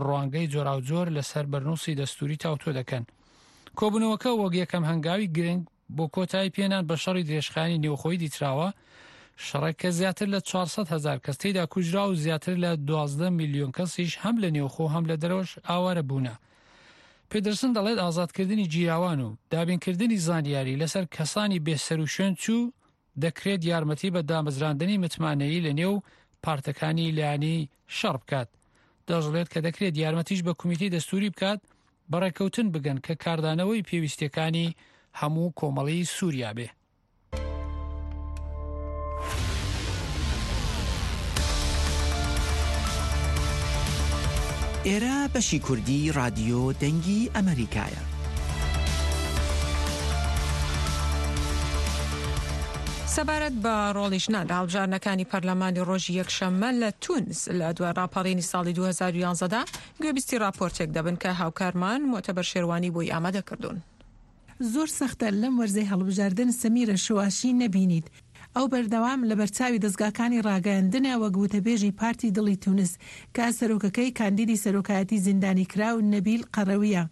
ڕوانگەی جۆراوجۆر لەسەر بەرنووسی دەستوری تاوتۆ دەکەن. کۆبوونەوەکە وەک یەکەم هەنگاوی گرنگ بۆ کۆتایی پێنان بە شەڕی درێژخایەنی نێوخۆی دیتراوە، شەڕێک کە زیاتر لە چوار سەد هەزار کەس تێیدا کوژرا و زیاتر لە دوازدە میلیۆن کەسیش هەم لە نێوخۆ هەم لە دەرەوەش ئاوارە بوونە. پێدرسن دەڵێت ئازادکردنی گیراوان و دابینکردنی زانیاری لەسەر کەسانی بێسەروشوێن چوو دەکرێت یارمەتی بە دامەزراندنی متمانەیی لە نێو پارتەکانی لایەنی شەڕ بکات. دەشڵێت کە دەکرێت یارمەتیش بە کومیتەی دەستوری بکات بەڕێککەوتن بگەن کە کاردانەوەی پێویستیەکانی هەموو کۆمەڵی سووریا بێ. ئێرە بەشی کوردی رادیۆ دەنگی ئەمریکایە. سەبارەت بە ڕۆڵی ژنان لە هەڵبژاردنەکانی پەرلەمانی ڕۆژی یەکشەممە لە تونس لە دوای ڕاپەڕینی ساڵی دوو هەزار و یازدە دا گوێبیستی ڕاپۆرتێک دەبن کە هاوکارمان موعتەبەر شێروانی بۆی ئامادە کردوون. زۆر سەختە لەم وەرزەی هەڵبژاردن سەمیرە شواشی نەبینیت. ئەو بەردەوام لەبەرچاوی دەزگاکانی ڕاگەیاندنە وەک وتەبێژی پارتی دڵی تونس کە سەرۆکەکەی کاندیدی سەرۆکایەتی زیندانیکراو نەبیل قەرەوییە.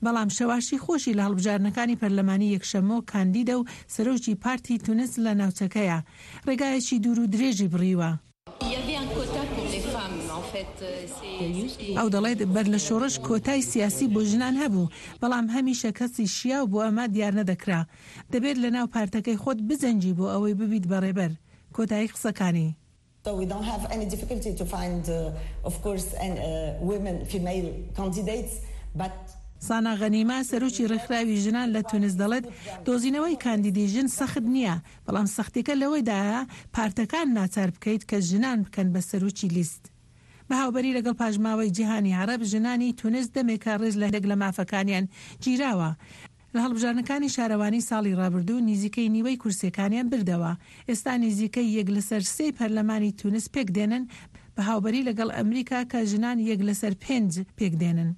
بەڵام شەواشی خۆشی لە هەڵبژاردنەکانی پەرلەمانی یەکشەممۆ کاندیدە و سەرۆکی پارتی تونس لە ناوچەکەیە ڕێگایەکی دوور و درێژی بڕیوە. ئەو دەڵێت بەر لە شۆڕش کۆتای سیاسی بۆ ژنان هەبوو، بەڵام هەمیشە کەسی شیاو بۆ ئەمە دیارنەدەکرا. دەبێت لەناو پارتەکەی خۆت بجەنگی بۆ ئەوەی ببیت بە ڕێبەر. کۆتایی قسەکانی. سانا غەنیمە، سەرۆکی ڕێکخراوی ژنان لە تونس دەڵێت، دۆزینەوەی کاندیدی ژن سەخت نییە، بەڵام سەختیەکە لەوەیدایە پارتەکان ناچار بکەیت کە ژنان بکەن بە سەرۆکی لیست. بە هاوبەری لەگەڵ پاشماوەی جیهانی عەرەب، ژنانی تونس دەمێکە ڕێز لە هەندێک لە مافەکانیان گیراوە. لە هەڵبژاردنەکانی شارەوانی ساڵی ڕابردوو نیزیکەی نیوەی کورسیەکانیان بردەوە. ئێستا نیزیکەی یەک لەسەر سێی پەرلەمانی تونس پێکدێنن بە هاوبەری لەگەڵ ئەمریکا کە ژنان یەک لەسەر پێنج پێکدێنن.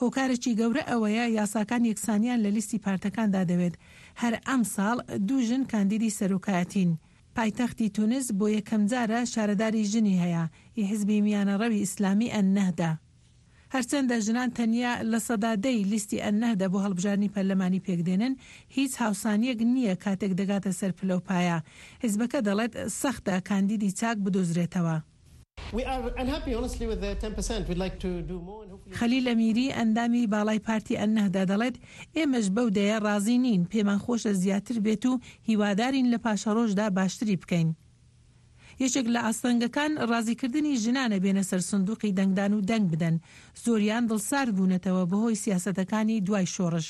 هۆکارێکی گەورە ئەوەیە یاساکان یەکسانیان لە لیستی پارتەکاندا دەوێت. هەر ئەمساڵ دوو ژن کاندیدی سەرۆکایەتین. پایتەختی تونس بۆ یەکەمجارە شارەداری ژنی هەیە، ی حزبی میانەڕەوی ئیسلامی ئەلنەهدە. هەرچەندە ژنان تەنیا لە سەدا دە ی لیستی ئەلنەهدە بۆ هەڵبژاردنی پەرلەمانی پێکدێنن، هیچ هاوسانییەک نییە کاتێک دەگاتە سەر پلەوپایە. حزبەکە دەڵێت سەختە کاندیدی چاک بدۆزرێتەوە. خەلیل ئەمیری، ئەندامی باڵای پارتی ئەلنەهدە دەڵێت، ئێمەش بەو دەیە ڕازی نین، پێمان خۆشە زیاتر بێت و هیوادارین لە پاشەڕۆژدا باشتری بکەین. یەکێک لە ئاستەنگەکان ڕازیکردنی ژنانە بێنە سەر سندوقی دەنگدان و دەنگ بدەن، زۆریان دڵسارد بوونەتەوە بەهۆی سیاسەتەکانی دوای شۆڕش.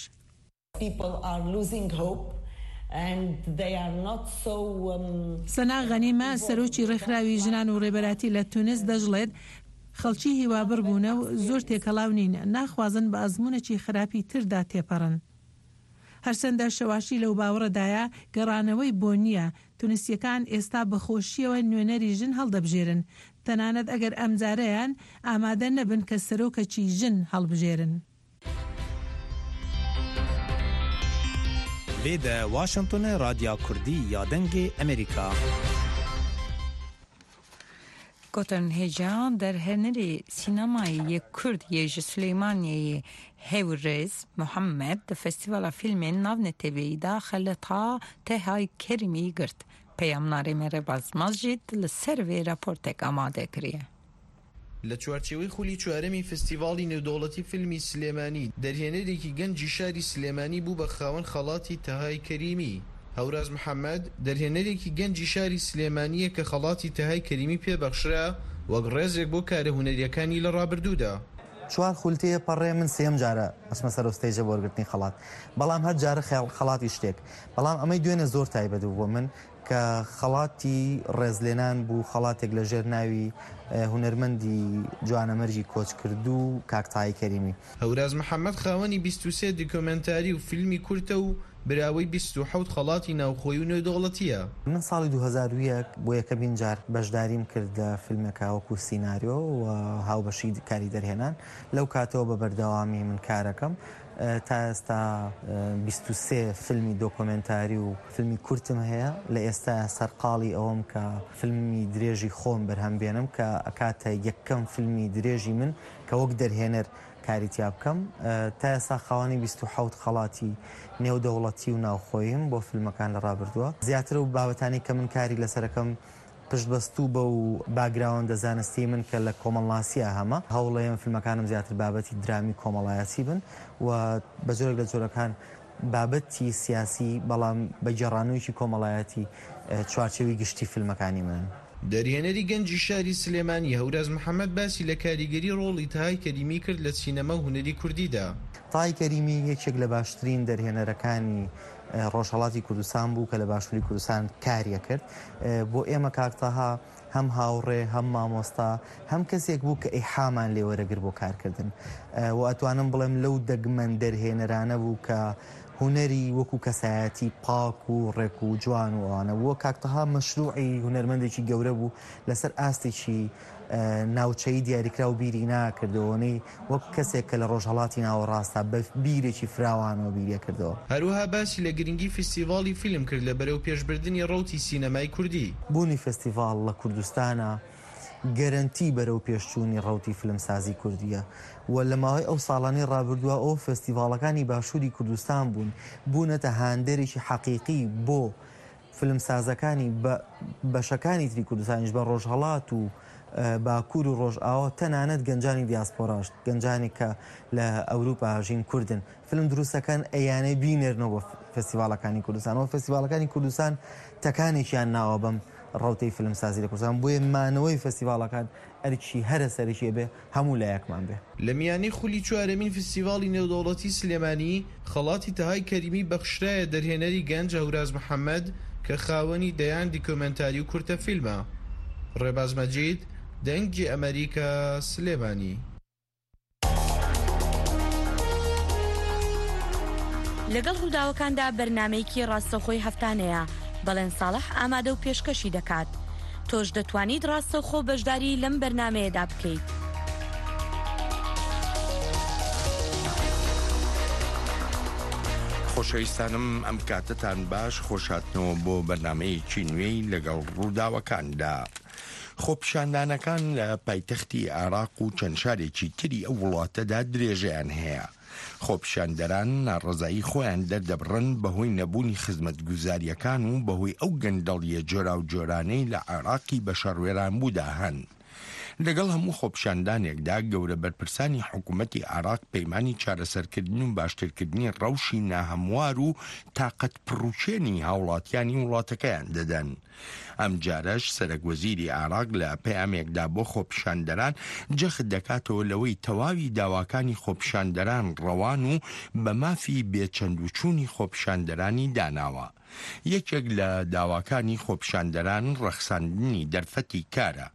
سەنا غەنیمە، سەرۆکی ڕێکخراوی ژنان و ڕێبەراتی لە تونس دەشڵێت، خەڵکی هیوابڕ بوونە و زۆر تێکەڵاو نین، ناخوازن بە ئەزموونێکی خراپی تردا تێپەڕن. هەرچەندە شەواشی لەو باوەڕەدایە گەڕانەوەی بۆ نییە، تونسییەکان ئێستا بە خۆشییەوە نوێنەری ژن هەڵدەبژێرن، تەنانەت ئەگەر ئەمجارەیان ئامادە نەبن کە سەرۆکەکی ژن هەڵبژێرن. لێدە واشنتۆن رادیا کوردی یا دەنگێ ئەمریکا. گوتن هێجا دەرهێنەری سینەمایی یê Kurd yê ji Silêmaniyeyê Hewrêz Muhammed di Festîvala Fîlmên Navneteweyî de xelata Tehay Kerîmî girt. Peyamnarê me Rebaz Majid li ser vê raportek amade kiriye. لە چوارچێوەی خولی چوارەمی فستیڤاڵی نێودەوڵەتی فیلمی سلێمانی دەرهێنەرێکی گەنجی شاری سلێمانی بوو بە خاوەن خەڵاتی تەهای کەریمی. هەوراز محەممەد دەرهێنەرێکی گەنجی شاری سلێمانییە کە خەڵاتی تەهای کەریمی پێبەخشرا وەک ڕێزێک بۆ کارە هونەریەکانی لە ڕابردوودا. چوار خولتەیە پەڕێ من سێم جارە ئەچمە سەر stage ە بۆ وەرگرتنی خەڵات، بەڵام هەر جارە خەڵاتی شتێک، بەڵام ئەمەی دوێنێ زۆر تایبەت بوو بۆ من کە خەڵاتی ڕێزلێنان بوو، خەڵاتێک لە ژێر ناوی هونەرمەندی جوانەمەرگی کۆچکردوو کاک تای کەریمی. هەوراز محەممەد خاوەنی بیست و سێ دیکۆمێنتاری و فیلمی کورتە و براوەی بیست و حەوت خەڵاتی ناوخۆی و نێودەوڵەتیە. من ساڵی دوو هەزار و یەک بۆ یەکەمین جار بەشداریم کرد لە فیلمێکا وەکو سیناریۆ و هاوبەشی کاری دەرهێنان. لەو کاتەوە بە بەردەوامی من کارەکەم تا ئێستا بیست و سێ فیلمی دۆکۆمێنتاری و فیلمی کورتم هەیە. لە ئێستا سەرقاڵی ئەوەم کە فیلمی درێژی خۆم بەرهەم بێنم کە ئەکاتە یەکەم فیلمی درێژی من کە وەک دەرهێنەر کاری تیا بکەم. تا ئێستا خاوەنی بیست و حەوت خەڵاتی نێودەوڵەتی و ناوخۆییم بۆ فیلمەکان لە ڕابردووە. زیاتر و بابەتانی کە من کاری لەسەرەکەم پشتبەستوو بە و باگراوەندە زانستی من کە لە کۆمەڵناسیە هەمە، هەوڵەیەم فیلمەکانم زیاتر بابەتی درامی کۆمەڵایەتی بن و بە جۆرێک لە جۆرەکان بابەتی سیاسی بەڵام بە گێڕانەوەیەکی کۆمەڵایەتی چوارچێوەی گشتی فیلمەکانی منن. دەرهێنەری گەنجی شاری سلێمانی هەوراز محەممەد باسی لە کاریگەری ڕۆڵی تەهای کەریمی کرد لە سینەما و هونەری کوردیدا. تای کەریمی یەکێک لە باشترین دەرهێنەرەکانی ڕۆژهەڵاتی کوردستان بوو کە لە باشووری کوردستان کاریە کرد. بۆ ئێمە کاک تەها هەم هاوڕێ هەم مامۆستا هەم کەسێک بوو کە ئیحامان لێوەرەگر بۆ کارکردن و ئەتوانم بڵێم لەو دەگمەن دەرهێنەرانە بوو کە هونەری وەکو کەسایەتی پاک و ڕێک و جوان و ئەوانە بووە. کاک تەها مەشروعی هونەرمەندێکی گەورە بوو لەسەر ئاستێکی ناوچەی دیاریکراو بیری ناکردەوەنەی وەک کەسێک کە لە ڕۆژهەڵاتی ناوەڕاستە بە بیرێکی فراوانەوە بیریە کردەوە. هەروەها باسی لە گرنگی فستیڤاڵی فیلم کرد لە بەرەو پێشبردنی ڕەوتی سینەمای کوردی. بوونی فستیڤاڵ لە کوردستانە گەرەنتی بەرەو پێشچوونی ڕەوتی فیلمسازی کوردیە و لە ماوەی ئەو ساڵانەی ڕابردووە ئەو فستیڤاڵەکانی باشووری کوردستان بوون بوونەتە هاندەرێکی حەقیقی بۆ فیلمسازەکانی بەشەکانی تری کوردستانیش بە ڕۆژهەڵات و باکوور و ڕۆژئاوا، تەنانەت گەنجانی دیاسپۆراش، گەنجانی کە لە ئەوروپا ژین کوردن فیلم دروستەکان ئەیانەی بینێرنەوە بۆ فستیڤاڵەکانی کوردستان. و فستیڤاڵەکانی کوردستان تەکانێکیان ناوە بەم ڕەوتەی فیلمسازی لە کوردستان، بۆیە مانەوەی فستیڤاڵەکان ئەرکی هەرە سەرەکیە بێ هەموو لایەکمان بێ. لە میانی خولی چوارەمین فستیڤاڵی نێودەوڵەتی سلێمانی خەڵاتی تەهای کەریمی بەخشرایە دەرهێنەری گەنج هەوراز محەممەد کە خاوەنی دەیان دیکۆمێنتاری و کورتە فیلمە. ڕێباز مەجید، دەنگی ئەمریکا، سلێمانی. لەگەڵ ڕووداوەکاندا بەرنمەیەکی ڕاستەوخۆی هەفتانەیە بەڵێن ساڵح ئامادە و پێشکەشی دەکات. تۆش دەتوانیت ڕاستەوخۆ بەشداری لەم بەرنمەیەدا بکەیت. خۆشەویستانم، ئەم کاتتان باش، خۆشاتنەوە بۆ بەرنمەیەکی نوێی لەگەڵ ڕووداوەکاندا. خۆپیشاندانەکان لە پایتەختی عێراق و چەند شارێکی تری ئەو وڵاتەدا درێژەیان هەیە. خۆپیشاندەران ناڕەزایی خۆیان دەردەبڕن بەهۆی نەبوونی خزمەتگوزاریەکان و بەهۆی ئەو گەندەڵیە جۆراوجۆرانەی لە عێراقی بە شەڕوێرانبوودا هەن. لەگەڵ هەموو خۆپیشاندانێکدا گەورە بەرپرسانی حکوومەتی عێراق پەیمانی چارەسەرکردن و باشترکردنی ڕەوشی ناهەموار و تاقەت پڕوچێنی هاوڵاتیانی وڵاتەکەیان دەدەن. ئەم جارەش سەرەک وەزیری عێراق لە پەیامێکدا بۆ خۆپیشاندەران جەخت دەکاتەوە لەوەی تەواوی داواکانی خۆپیشاندەران ڕەوان و بە مافی بێچەند و چوونی خۆپیشاندەرانی داناوە. یەکێک لە داواکانی خۆپیشاندەران ڕەخساندنی دەرفەتی کارە،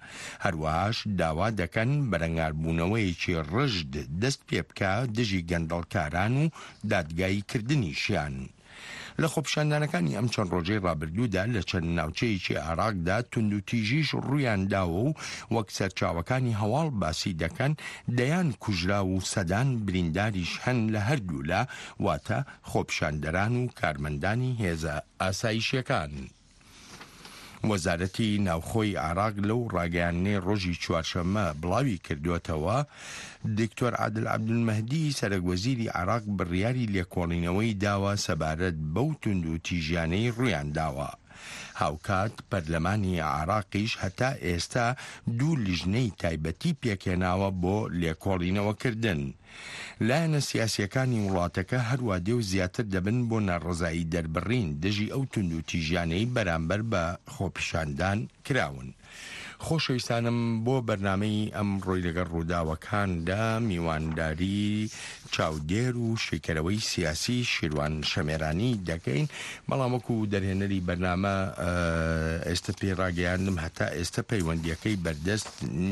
هەروەهاش داوا دەکەن بەرەنگاربوونەوەیەکی ڕژد دەست پێ بکە دژی گەندەڵکاران و دادگاییکردنیشیان. لە خۆپیشاندانەکانی ئەم چەند ڕۆژەی ڕابردوودا لە چەند ناوچەیەکی عێراقدا توندوتیژیش ڕوویان داوە و وەک سەرچاوەکانی هەواڵ باسی دەکەن دەیان کوژراو و سەدان برینداریش هەن لە هەردوولا، واتە خۆپیشاندەران و کارمەندانی هێزە ئاسایشیەکان. وەزارەتی ناوخۆی عێراق لەو ڕاگەیاندنەی ڕۆژی چوارشەممە بڵاوی کردووەتەوە، دکتۆر عادل عەبدولمەهدی سەرەک وەزیری عێراق بڕیاری لێکۆڵینەوەی داوە سەبارەت بەو توند و تیژیانەی ڕوویان داوە. هاوکات پەرلەمانی عێراقیش هەتا ئێستا دوو لیژنەی تایبەتی پێکهێناوە بۆ لێکۆڵینەوەکردن. لایەنە سیاسیەکانی وڵاتەکە هەروادێ و زیاتر دەبن بۆ ناڕەزایی دەربڕین دژی ئەو توند و تیژیانەی بەرامبەر بە خۆپیشاندان کراون. خۆشەویستانم، بۆ بەرنامەی ئەمڕۆی لەگەڵ ڕووداوەکاندا میوانداری چاودێر و شیکەرەوەی سیاسی شیروان شەمێرانی دەکەین، بەڵام وەکو دەرهێنەری بەرنامە ئێستا پێی ڕاگەیاندم هەتا ئێستا پەیوەندیەکەی بەردەست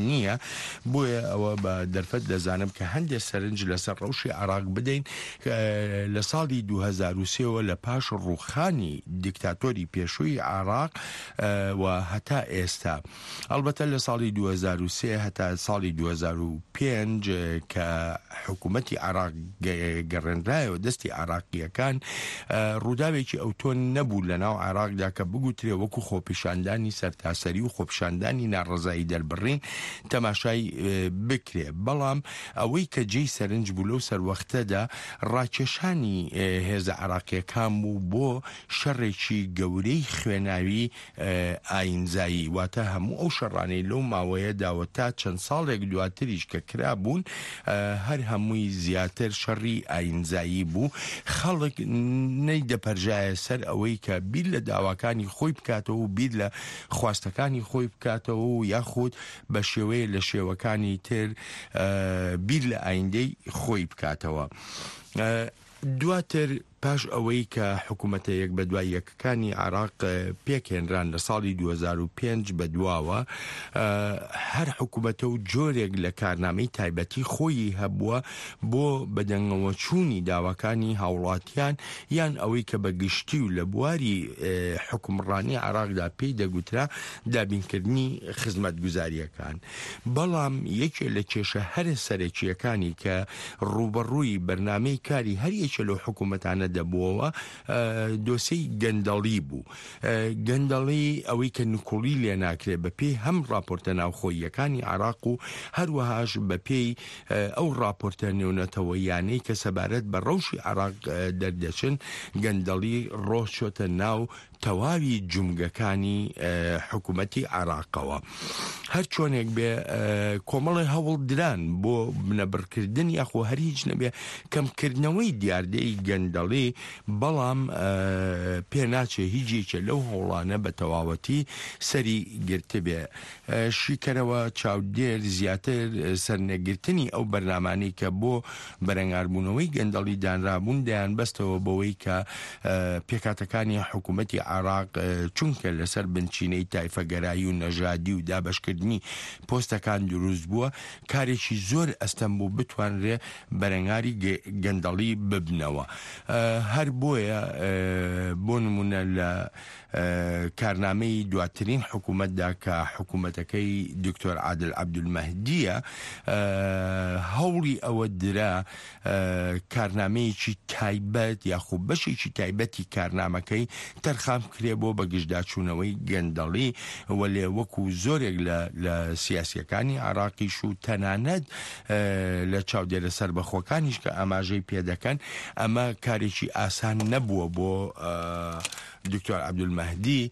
نییە، بۆیە ئەوە بە دەرفەت دەزانم کە هەندێک سەرنج لەسەر ڕەوشی عێراق بدەین. لە ساڵی دوو هەزار و سێوە لە پاش ڕووخانی دیکتاتۆری پێشووی عێراق و هەتا ئێستا، ئەلبەتە لە ساڵی دوو هەزار و سێ هەتا ساڵی دوو هەزار و پێنج کە حکوومەتی عێراق گەڕێنرایەوە دەستی عێراقیەکان، ڕووداوێکی ئەوتۆ نەبوو لە ناو عێراقدا کە بگوترێ وەکو خۆپیشاندانی سەرتاسەری و خۆپیشاندانی ناڕەزایی دەربڕین تەماشای بکرێ. بەڵام ئەوەی کە جێی سەرنج بوو لەو سەروەختەدا ڕاکێشانی هێزە عێراقیەکان بوو بۆ شەڕێکی گەورەی خوێناوی ئاینزایی، واتە هەموو ئەو شەڕانەی لەو ماوەیەداوە تا چەند ساڵێک دواتریش کە کرابوون هەر هەمووی زیاتر شەڕی ئاینزایی بوو. خەڵک نەیدەپەرژایە سەر ئەوەی کە بیر لە داواکانی خۆی بکاتەوە و بیر لە خواستەکانی خۆی بکاتەوە و یاخود بە شێوەیە لە شێوەکانی تر بیر لە ئایندەی خۆی بکاتەوە. دواتر پاش ئەوەی کە حکوومەتە یەک بە دوای یەکەکانی عێراق پێکهێنران لە ساڵی دوو هەزار و پێنج بە دواوە، هەر حکوومەتە و جۆرێک لە کارنامەی تایبەتی خۆی هەبووە بۆ بەدەنگەوەچوونی داواکانی هاوڵاتیان یان ئەوەی کە بە گشتی و لە بواری حکومڕانی عێراقدا پێی دەگوترا دابینکردنی خزمەتگوزاریەکان. بەڵام یەکێ لە کێشە هەرە سەرەکییەکانی کە ڕووبەڕووی بەرنامەی کاری هەر یەکێ لەو حکوومەتانە دەبووەوە دۆسێی گەندەڵی بوو. گەندەڵی ئەوەی کە نکوڵی لێ ناکرێ بە پێی هەم راپۆرتە ناوخۆییەکانی عێراق و هەروەهاش بە پێی ئەو راپۆرتە نێونەتەوەیانەی کە سەبارەت بە ڕەوشی عێراق دەردەچن، گەندەڵی ڕۆچۆتە ناو تەواوی جومگەکانی حکوومەتی عێراقەوە. هەر چۆنێک بێ کۆمەڵی هەوڵ دران بۆ بنەبڕکردن یاخۆ هەر هیچ نەبێ کەمکردنەوەی دیاردەی گەندەڵی، بەڵام پێ ناچێ هیچ یەکێ لەو هەوڵانە بە تەواوەتی سەری گرتبێ. شیکەرەوە چاودێر زیاتر سەرنەگرتنی ئەو بەرنامانەی کە بۆ بەرەنگاربوونەوەی گەندەڵی دانرابوون دەیان بەستەوە بەوەی کە پێکهاتەکانی حکوومەتی عێراق چونکە لەسەر بنچینەی تایفەگەرایی و نەژادی و دابەشکردنی پۆستەکان دروست بووە، کارێکی زۆر ئەستەم بوو بتوانرێ بەرەنگاری گەندەڵی ببنەوە. هەر بۆیە بۆ نمونە لە کارنامەی دواترین حکوومەتدا کە حکوومەتەکەی دکتۆر عادل عەبدولمەهدیە، هەوڵی ئەوە درا کارنامەیەکی تایبەت یاخۆ بەشێکی تایبەتی کارنامەکەی تەرخان بکرێ بۆ بەگشتداچوونەوەی گەندەڵی، وەلێ وەکو زۆرێک لە سیاسیەکانی عێراقیش و تەنانەت لە چاودێرە سەربەخۆکانیش کە ئاماژەی پێدەکەن، ئەمە کارێکی ئاسان نەبووە بۆ دکتۆر عەبدولمەهدی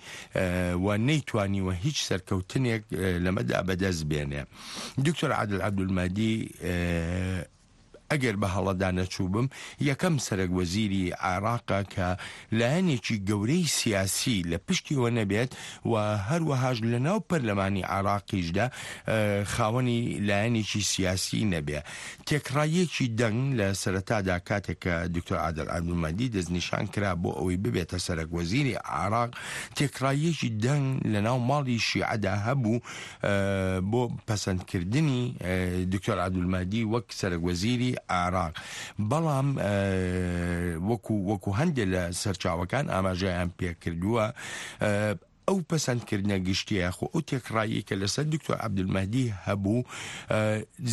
و نەیتوانیوە هیچ سەرکەوتنێک لەمەدا بەدەست بێنێ. دکتۆر عادل عەبدولمەهدی ئەگەر بە هەڵەدا نەچووبم یەکەم سەرەک وەزیری عێراقە کە لایەنێکی گەورەی سیاسی لە پشتیەوە نەبێت و هەروەهاش لە ناو پەرلەمانی عێراقیشدا خاوەنی لایەنێکی سیاسی نەبێ. تێکڕاییەکی دەنگ لە سەرەتادا کاتێک کە دکتۆر عادل عەبدولمەهدی دەستنیشان کرا بۆ ئەوەی ببێتە سەرەک وەزیری عێراق، تێکڕاییەکی دەنگ لە ناو ماڵی شیعەدا هەبوو بۆ پەسەندکردنی دکتۆر عەبدولمەهدی وەک سەرەک وەزیری عێراق. بەڵام وەکو وەکو هەندێک لە سەرچاوەکان ئاماژەیان پێکردووە، ئەو پەسەندکردنە گشتیە خۆ ئەو تێکڕایی کە لەسەر دکتۆر عەبدولمەهدی هەبوو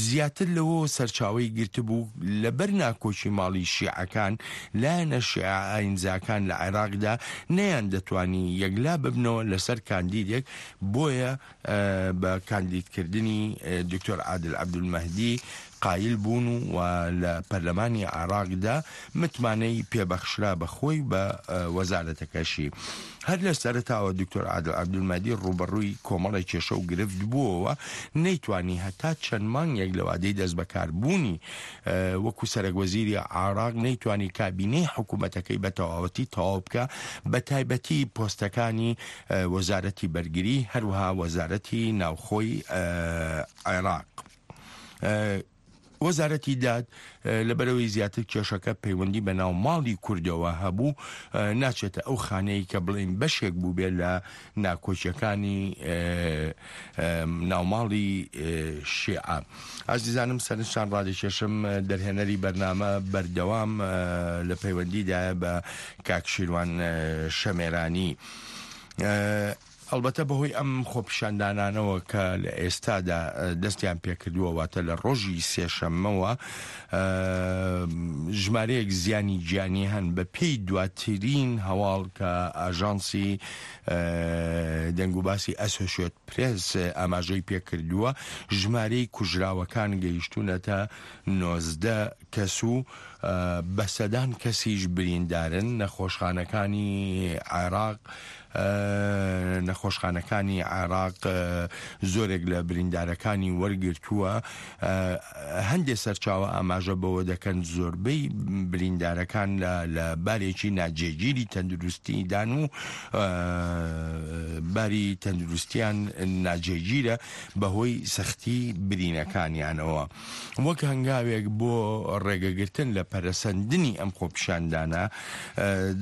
زیاتر لەوە سەرچاوەی گرتبوو لەبەر ناکۆکی ماڵی شیعەکان، لایەنە شیعە ئاینزاکان لە عێراقدا نەیان دەتوانی یەکلا ببنەوە لەسەر کاندیدێک، بۆیە بە کاندیدکردنی دکتۆر عادل عەبدولمەهدی قایل بوون و لە پەرلەمانی عێراقدا متمانەی پێبەخشرا بە خۆی بە وەزارەتەکەشی. هەر لە سەرەتاوە دکتۆر عادل عەبدولمەهدی ڕووبەڕووی کۆمەڵێک کێشە و گرفت بووەوە، نەیتوانی هەتا چەند مانگێک لە وادەی دەستبەکاربوونی وەکو سەرەک وەزیری عێراق نەیتوانی کابینەی حکوومەتەکەی بە تەواوەتی تەواو بکە، بە تایبەتی پۆستەکانی وەزارەتی بەرگری هەروەها وەزارەتی ناوخۆی عێراق. وەزارەتی داد لەبەرەوەی زیاتر کێشەکە پەیوەندی بە ناو ماڵی کوردەوە هەبوو، ناچێتە ئەو خانەیە کە بڵێن بەشێک بوو بێ لە ناکۆکیەکانی ناوماڵی شیعە. ئازیزانم سەرنجتان ڕادەکێشم، دەرهێنەری بەرنامە بەردەوام لە پەیوەندیدایە بە کاک شیروان شەمێرانی. ئەلبەتە بەهۆی ئەم خۆپیشاندانانەوە کە لە ئێستادا دەستیان پێکردووە، واتە لە ڕۆژی سێشەممەوە ژمارەیەک زیانی گیانی هەن. بە پێی دواترین هەواڵ کە ئاژانسی دەنگوباسی ئەسۆشیەت پرێس ئاماژەی پێکردووە، ژمارەی کوژراوەکان گەیشتونەتە نۆزدە کەس و بە سەدان کەسیش بریندارن. نەخۆشخانەکانی عێراق نەخۆشخانەکانی عێراق زۆرێک لە بریندارەکانی وەرگرتووە. هەندێک سەرچاوە ئاماژە بەوە دەکەن زۆربەی بریندارەکان لە بارێکی ناجێگیری تەندروستیدان و باری تەندروستیان ناجێگیرە بەهۆی سەختی برینەکانیانەوە. وەک هەنگاوێک بۆ ڕێگەگرتن لە پەرەسەندنی ئەم خۆپیشاندانە.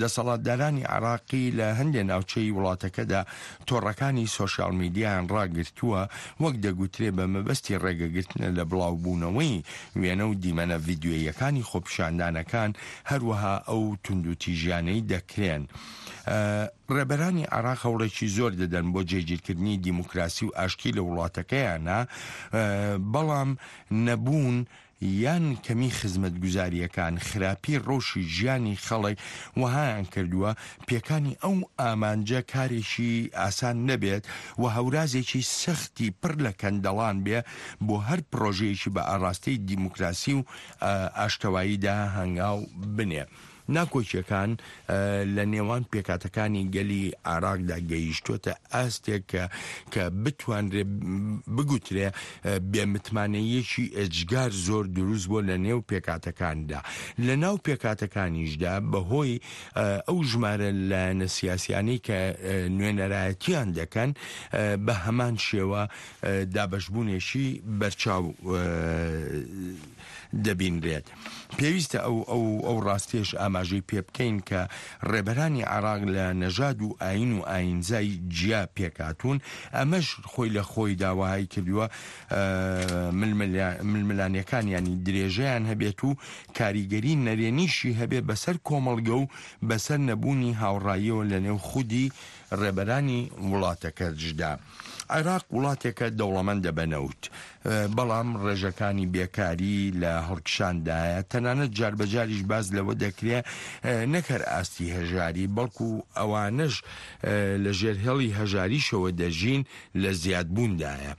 دەسەڵاتدارانی عێراقی لە هەندێک ناوچەی وڵاتەکەدا تۆڕەکانی سۆشیال میدیایان ڕاگرتووە، وەک دەگوترێ بە مەبەستی ڕێگەگرتنە لە بڵاوبوونەوەی وێنە و دیمەنە ڤیدیۆییەکانی خۆپیشاندانەکان، هەروەها ئەو توندوتیژیانەی دەکرێن. ڕێبەرانی عێراق هەوڵێکی زۆر دەدەن بۆ جێگیرکردنی دیموکراسی و ئاشتی لە وڵاتەکەیانە، بەڵام نەبوون یان کەمی خزمەتگوزارییەکان، خراپی ڕەوشی ژیانی خەڵک وەهایان کردووە پێکانی ئەو ئامانجە کارێکی ئاسان نەبێت و هەورازێکی سەختی پڕ لە کەندەڵان بێ بۆ هەر پڕۆژەیەکی بە ئاڕاستەی دیموکراسی و ئاشتەواییدا هەنگاو بنێ. ناکۆکیەکان لە نێوان پێکهاتەکانی گەلی عێراقدا گەیشتووەتە ئاستێک کە کە بتوانرێ بگوترێ بێمتمانەیەکی ئێجگار زۆر دروست بووە لە نێو پێکهاتەکاندا. لە ناو پێکهاتەکانیشدا بەهۆی ئەو ژمارە لایەنە سیاسیانەی کە نوێنەرایەتیان دەکەن بە هەمان شێوە دابەشبوونێکی بەرچاو دەبینرێت. پێویستە ئەو ئەو ئەو ڕاستیش ئاماژەی پێ بکەین کە ڕێبەرانی عێراق لە نەژاد و ئاین و ئاینزای جیا پێکهاتوون، ئەمەش خۆی لە خۆیدا وەهای کردووە ململانێکانیانی درێژەیان هەبێت و کاریگەری نەرێنیشی هەبێ بەسەر کۆمەڵگە و بەسەر نەبوونی هاوڕاییەوە لەنێو خودی ڕێبەرانی وڵاتەکەشدا. عێراق وڵاتێکە دەوڵەمەندە بە نەوت، بەڵام ڕێژەکانی بێکاری لە هەڵکشاندایە، تەنانەت جاربەجاریش باس لەوە دەکرێ نەک هەر ئاستی هەژاری بەڵکو ئەوانەش لە ژێر هێڵی هەژاریشەوە دەژین لە زیادبووندایە.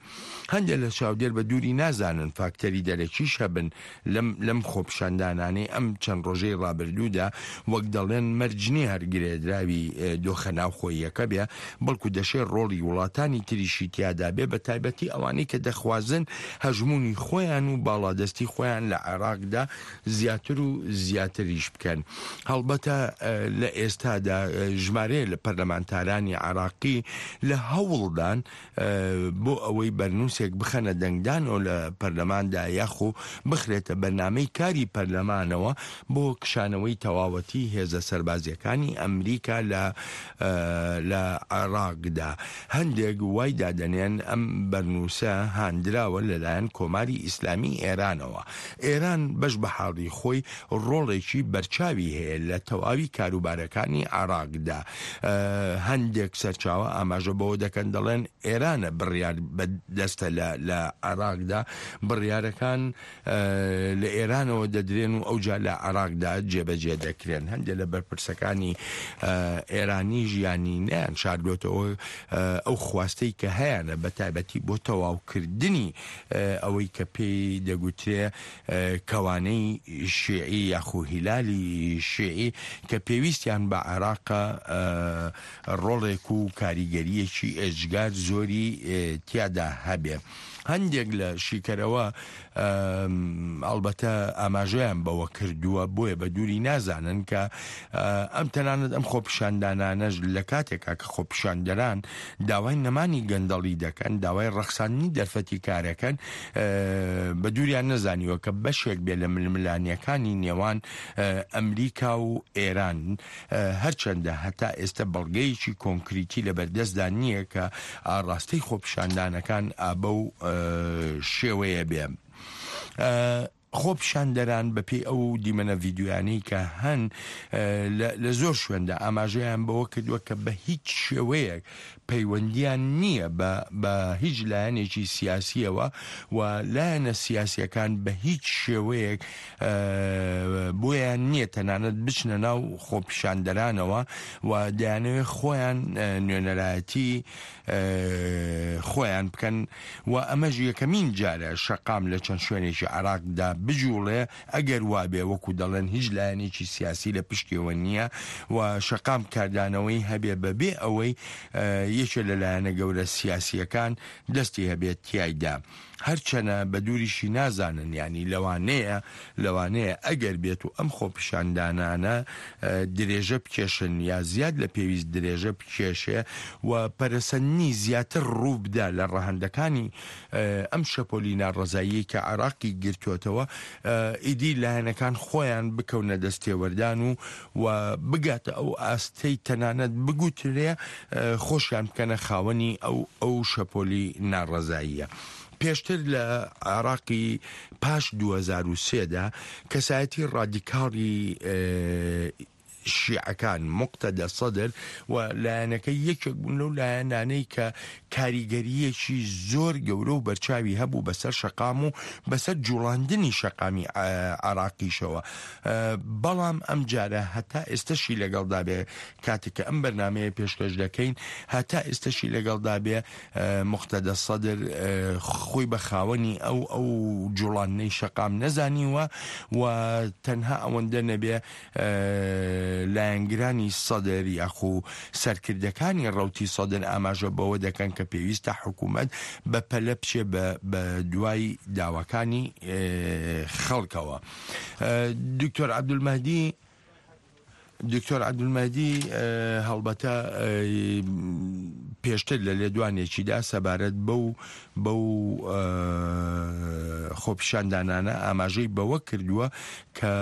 هەندێک لە چاودێر بە دووری نازانن فاکتەری دەرەکیش هەبن لەم لەم خۆپیشاندانانەی ئەم چەند ڕۆژەی ڕابردوودا، وەک دەڵێن مەرج نییە هەر گرێدراوی دۆخە ناوخۆییەکە بێ، بەڵکو دەشێ ڕۆڵی وڵاتانی تریشی تیادا بێ، بە تایبەتی ئەوانەی کە دەخوازن هەژموونی خۆیان و باڵادەستی خۆیان لە عێراقدا زیاتر و زیاتریش بکەن. هەڵبەتە لە ئێستادا ژمارەیە لە پەرلەمانتارانی عێراقی لە هەوڵدان بۆ ئەوەی بەرنووسێک بخەنە دەنگدانەوە لە پەرلەماندا یاخۆ بخرێتە بەرنامەی کاری پەرلەمانەوە بۆ کشانەوەی تەواوەتی هێزە سەربازیەکانی ئەمریکا لە لە عێراقدا. هەندێک وای دادەنێن ئەم بەرنووسە هاندراوە لەلایەن کۆماری ئیسلامی ئێرانەوە. ئێران بەش بە حاڵی خۆی ڕۆڵێکی بەرچاوی هەیە لە تەواوی کاروبارەکانی عێراقدا. هەندێک سەرچاوە ئاماژە بەوە دەکەن دەڵێن ئێرانە بڕیار بەدەستە لە عێراقدا، بڕیارەکان لە ئێرانەوە دەدرێن و ئەوجا لە عێراقدا جێبەجێ دەکرێن. هەندێک لە بەرپرسەکانی ئێرانی ژیانی نیان شاردۆتەوە ئەو خواستەی کە هەیەە بە تایبەتی بۆ تەواوکردنی ئەوەی کە پێی دەگوترێ کەوانەی شیعی یاخو هیلالی شیعی کە پێویستیان بە عێراقە ڕۆڵێک و کاریگەریەکی ئێجگار زۆری تیادا هەبێ. هەندێک لە شیکەرەوە ئەلبەتە ئاماژەیان بەوە کردووە، بۆیە بە دووری نازانن کە ئەم تەنانەت ئەم خۆپیشاندانانەش لە کاتێکا کە خۆپیشاندەران داوای نەمانی گەندەڵی دەکەن، داوای ڕەخساندنی دەرفەتی کارەکەن، بە دووریان نەزانیوە کە بەشێک بێ لە ململانیەکانی نێوان ئەمریکا و ئێران. هەرچەندە هەتا ئێستا بەڵگەیەکی کۆنکریتی لە بەردەستدا نییە کە ئاڕاستەی خۆپیشاندانەکان ئابە و شێوەیە بێ. خۆپیشاندەران بەپێی ئەو دیمەنە ڤیدیۆیانەی کە هەن لە زۆر شوێندا ئاماژەیان بەوە کردووە کە بە هیچ شێوەیەک پەیوەندیان نییە بە هیچ لایەنێکی سیاسیەوە و لایەنە سیاسیەکان بە هیچ شێوەیەک بۆیان نییە تەنانەت بچنە ناو خۆپیشاندەرانەوە و دەیانەوێت خۆیان نوێنەرایەتی خۆیان بکەن و ئەمەش یەکەمین جارە شەقام لە چەند شوێنێکی عێراقدا بجوڵێ ئەگەر وابێ وەکو دەڵێن هیچ لایەنێکی سیاسی لە پشتیەوە نییە و شەقام کاردانەوەی هەبێ بەبێ ئەوەی یەکێ لە لایەنە گەورە سیاسیەکان دەستی هەبێت تیایدا. هەرچەنە بە دووریشی نازانن، یانی لەوانەیە لەوانەیە ئەگەر بێت و ئەم خۆپیشاندانانە درێژە بکێشن یا زیاد لە پێویست درێژە بکێشێ و پەرەسەندنی زیاتر ڕوو بدا لە ڕەهەندەکانی ئەم شەپۆلی ناڕەزاییەی کە عێراقی گرتووەتەوە، ئیدی لایەنەکان خۆیان بکەونە دەستێوەردان و و بگاتە ئەو ئاستەی تەنانەت بگوترێ خۆشیان بکەنە خاوەنی ئەو ئەو شەپۆلی ناڕەزاییە. پێشتر لە عێراقی پاش دوو هەزار و سێ دا کەسایەتی ڕادیکاڵی شیعەکان موقتەدا سەدر و لایەنەکەی یەکێک بوون لەو لایەنانەی کە کاریگەرییەکی زۆر گەورە و بەرچاوی هەبوو بەسەر شەقام و بەسەر جوڵاندنی شەقامی عێراقیشەوە، بەڵام ئەمجارە هەتا ئێستەشی لەگەڵدا بێ کاتێک کە ئەم بەرنامەیە پێشکەش دەکەین هەتا ئێستەشی لەگەڵدا بێ موقتەدا سەدر خۆی بە خاوەنی ئەو ئەو جوڵاندنەی شەقام نەزانیوە و تەنها ئەوەندە نەبێ لایەنگرانی سەدر یاخو سەرکردەکانی ڕەوتی سەدر ئاماژە بەوە دەکەن کە پێویستە حکوومەت بە پەلە بچێ بە دوای داواکانی خەڵکەوە. دکتۆر عەبدولمەهدی دکتۆر عەبدولمەهدی هەڵبەتە پێشتر لە لێدوانێکیدا سەبارەت بەو بەو خۆپیشاندانانە ئاماژەی بەوە کردووە کە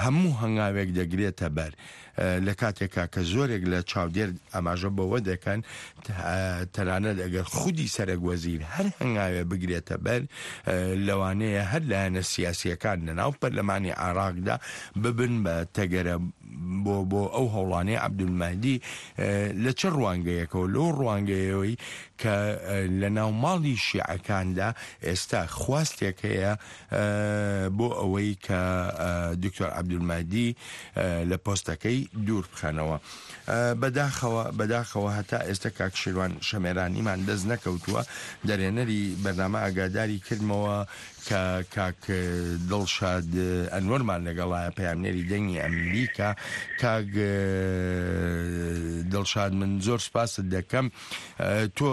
هەموو هەنگاوێک دەگرێتە بەر لە کاتێکا کە زۆرێک لە چاودێر ئاماژە بەوە دەکەن تەنانەت ئەگەر خودی سەرەک وەزیر هەر هەنگاوێ بگرێتە بەر لەوانەیە هەر لایەنە سیاسیەکان لەناو پەرلەمانی عێراقدا ببن بە تەگەرە بۆ بۆ ئەو هەوڵانەی عەبدولمەهدی لە چ ڕوانگەیەکەوە؟ لەو ڕوانگەیەوەی کە لە ناو ماڵی شیعەکاندا ئێستا خواستێک هەیە بۆ ئەوەی کە دکتۆر عەبدولمەهدی لە پۆستەکەی دوور بخەنەوە. بەداخەوە بەداخەوە هەتا ئێستا کاک شیروان شەمێرانیمان دەست نەکەوتووە. دەرێنەری بەرنامە ئاگاداری کردمەوە کە کاک دڵشاد ئەنوەرمان لەگەڵایە، پەیامنێری دەنگی ئەمریکا. کاک دڵشاد من زۆر سپاست دەکەم، تۆ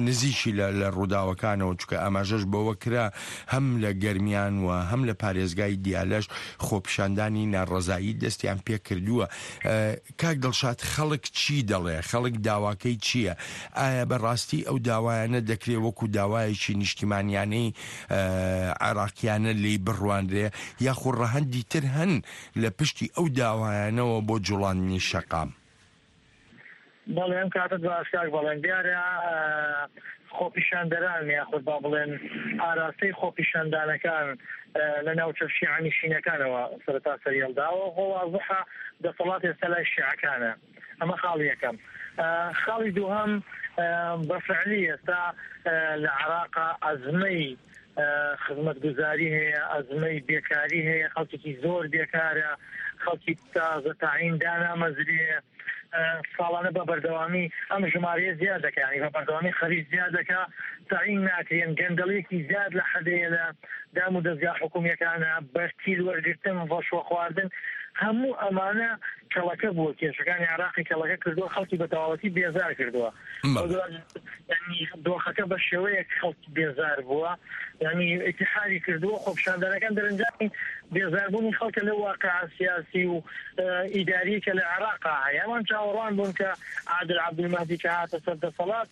نزیکی لە ڕووداوەکانەوە، چونکە ئاماژەش بەوە کرا هەم لە گەرمیان و هەم لە پارێزگای دیالەش خۆپیشاندانی ناڕەزایی دەستیان پێکردووە. کاک دڵشاد خەڵک چی دەڵێ؟ خەڵک داواکەی چییە؟ ئایا بەڕاستی ئەو داوایانە دەکرێ وەکو داوایەکی نیشتیمانیانەی عێراقیانە لێی بڕوانرێ یاخو ڕەهەندی تر هەن لە پشتی ئەو داوایانەوە بۆ جوڵاندنی شەقام؟ بەڵێ ئەم کاتت باش کاک بەڵێن. دیارە خۆپیشاندەران یاخود با بڵێن ئاراستەی خۆپیشاندانەکان لە ناوچە شیعەنشینەکانەوە سەرەتا سەریهەڵداوە. خۆ وازحە دەسەڵات ئێستا لای شیعەکانە، ئەمە خاڵی یەکەم. خاڵی دووهەم بە فعلی ئێستا لە عێراقا ئەزمەی خزمەتگوزاری هەیە، ئەزمەی بێکاری هەیە، خەڵکێکی زۆر بێکارە، خەڵکی تازە تاعین دانامەزرێ، ساڵانە بە بەردەوامی ئەم ژمارەیە زیاد دەکا، یعنی بە بەردەوامی خەریج زیاد دەکا، تاعین ناکرێن، گەندەڵیەکی زیاد لە حەدەیە لە دام و دەزگا حکومیەکانە، بەرتیل وەرگرتن، ڕەشوە خواردن، هەموو ئەمانە کەڵەکە بووە، کێشەکانی عێراقی کەڵەکە کردووە، خەڵکی بە تەواوەتی بێزار کردووە. دۆخەکە بە شێوەیەک خەڵکی بێزار بووە، یعنی ئیتیحادی کردووە. خۆپیشاندانەکان دەرەنجامی بێزاربوونی خەڵکە لەو واقع سیاسی و ئیداری کە لە عێراقا هەیە. ئەوان چاوەڕوان بوون کە عادل عەبدولمەهدی کە هاتە سەر دەسەڵات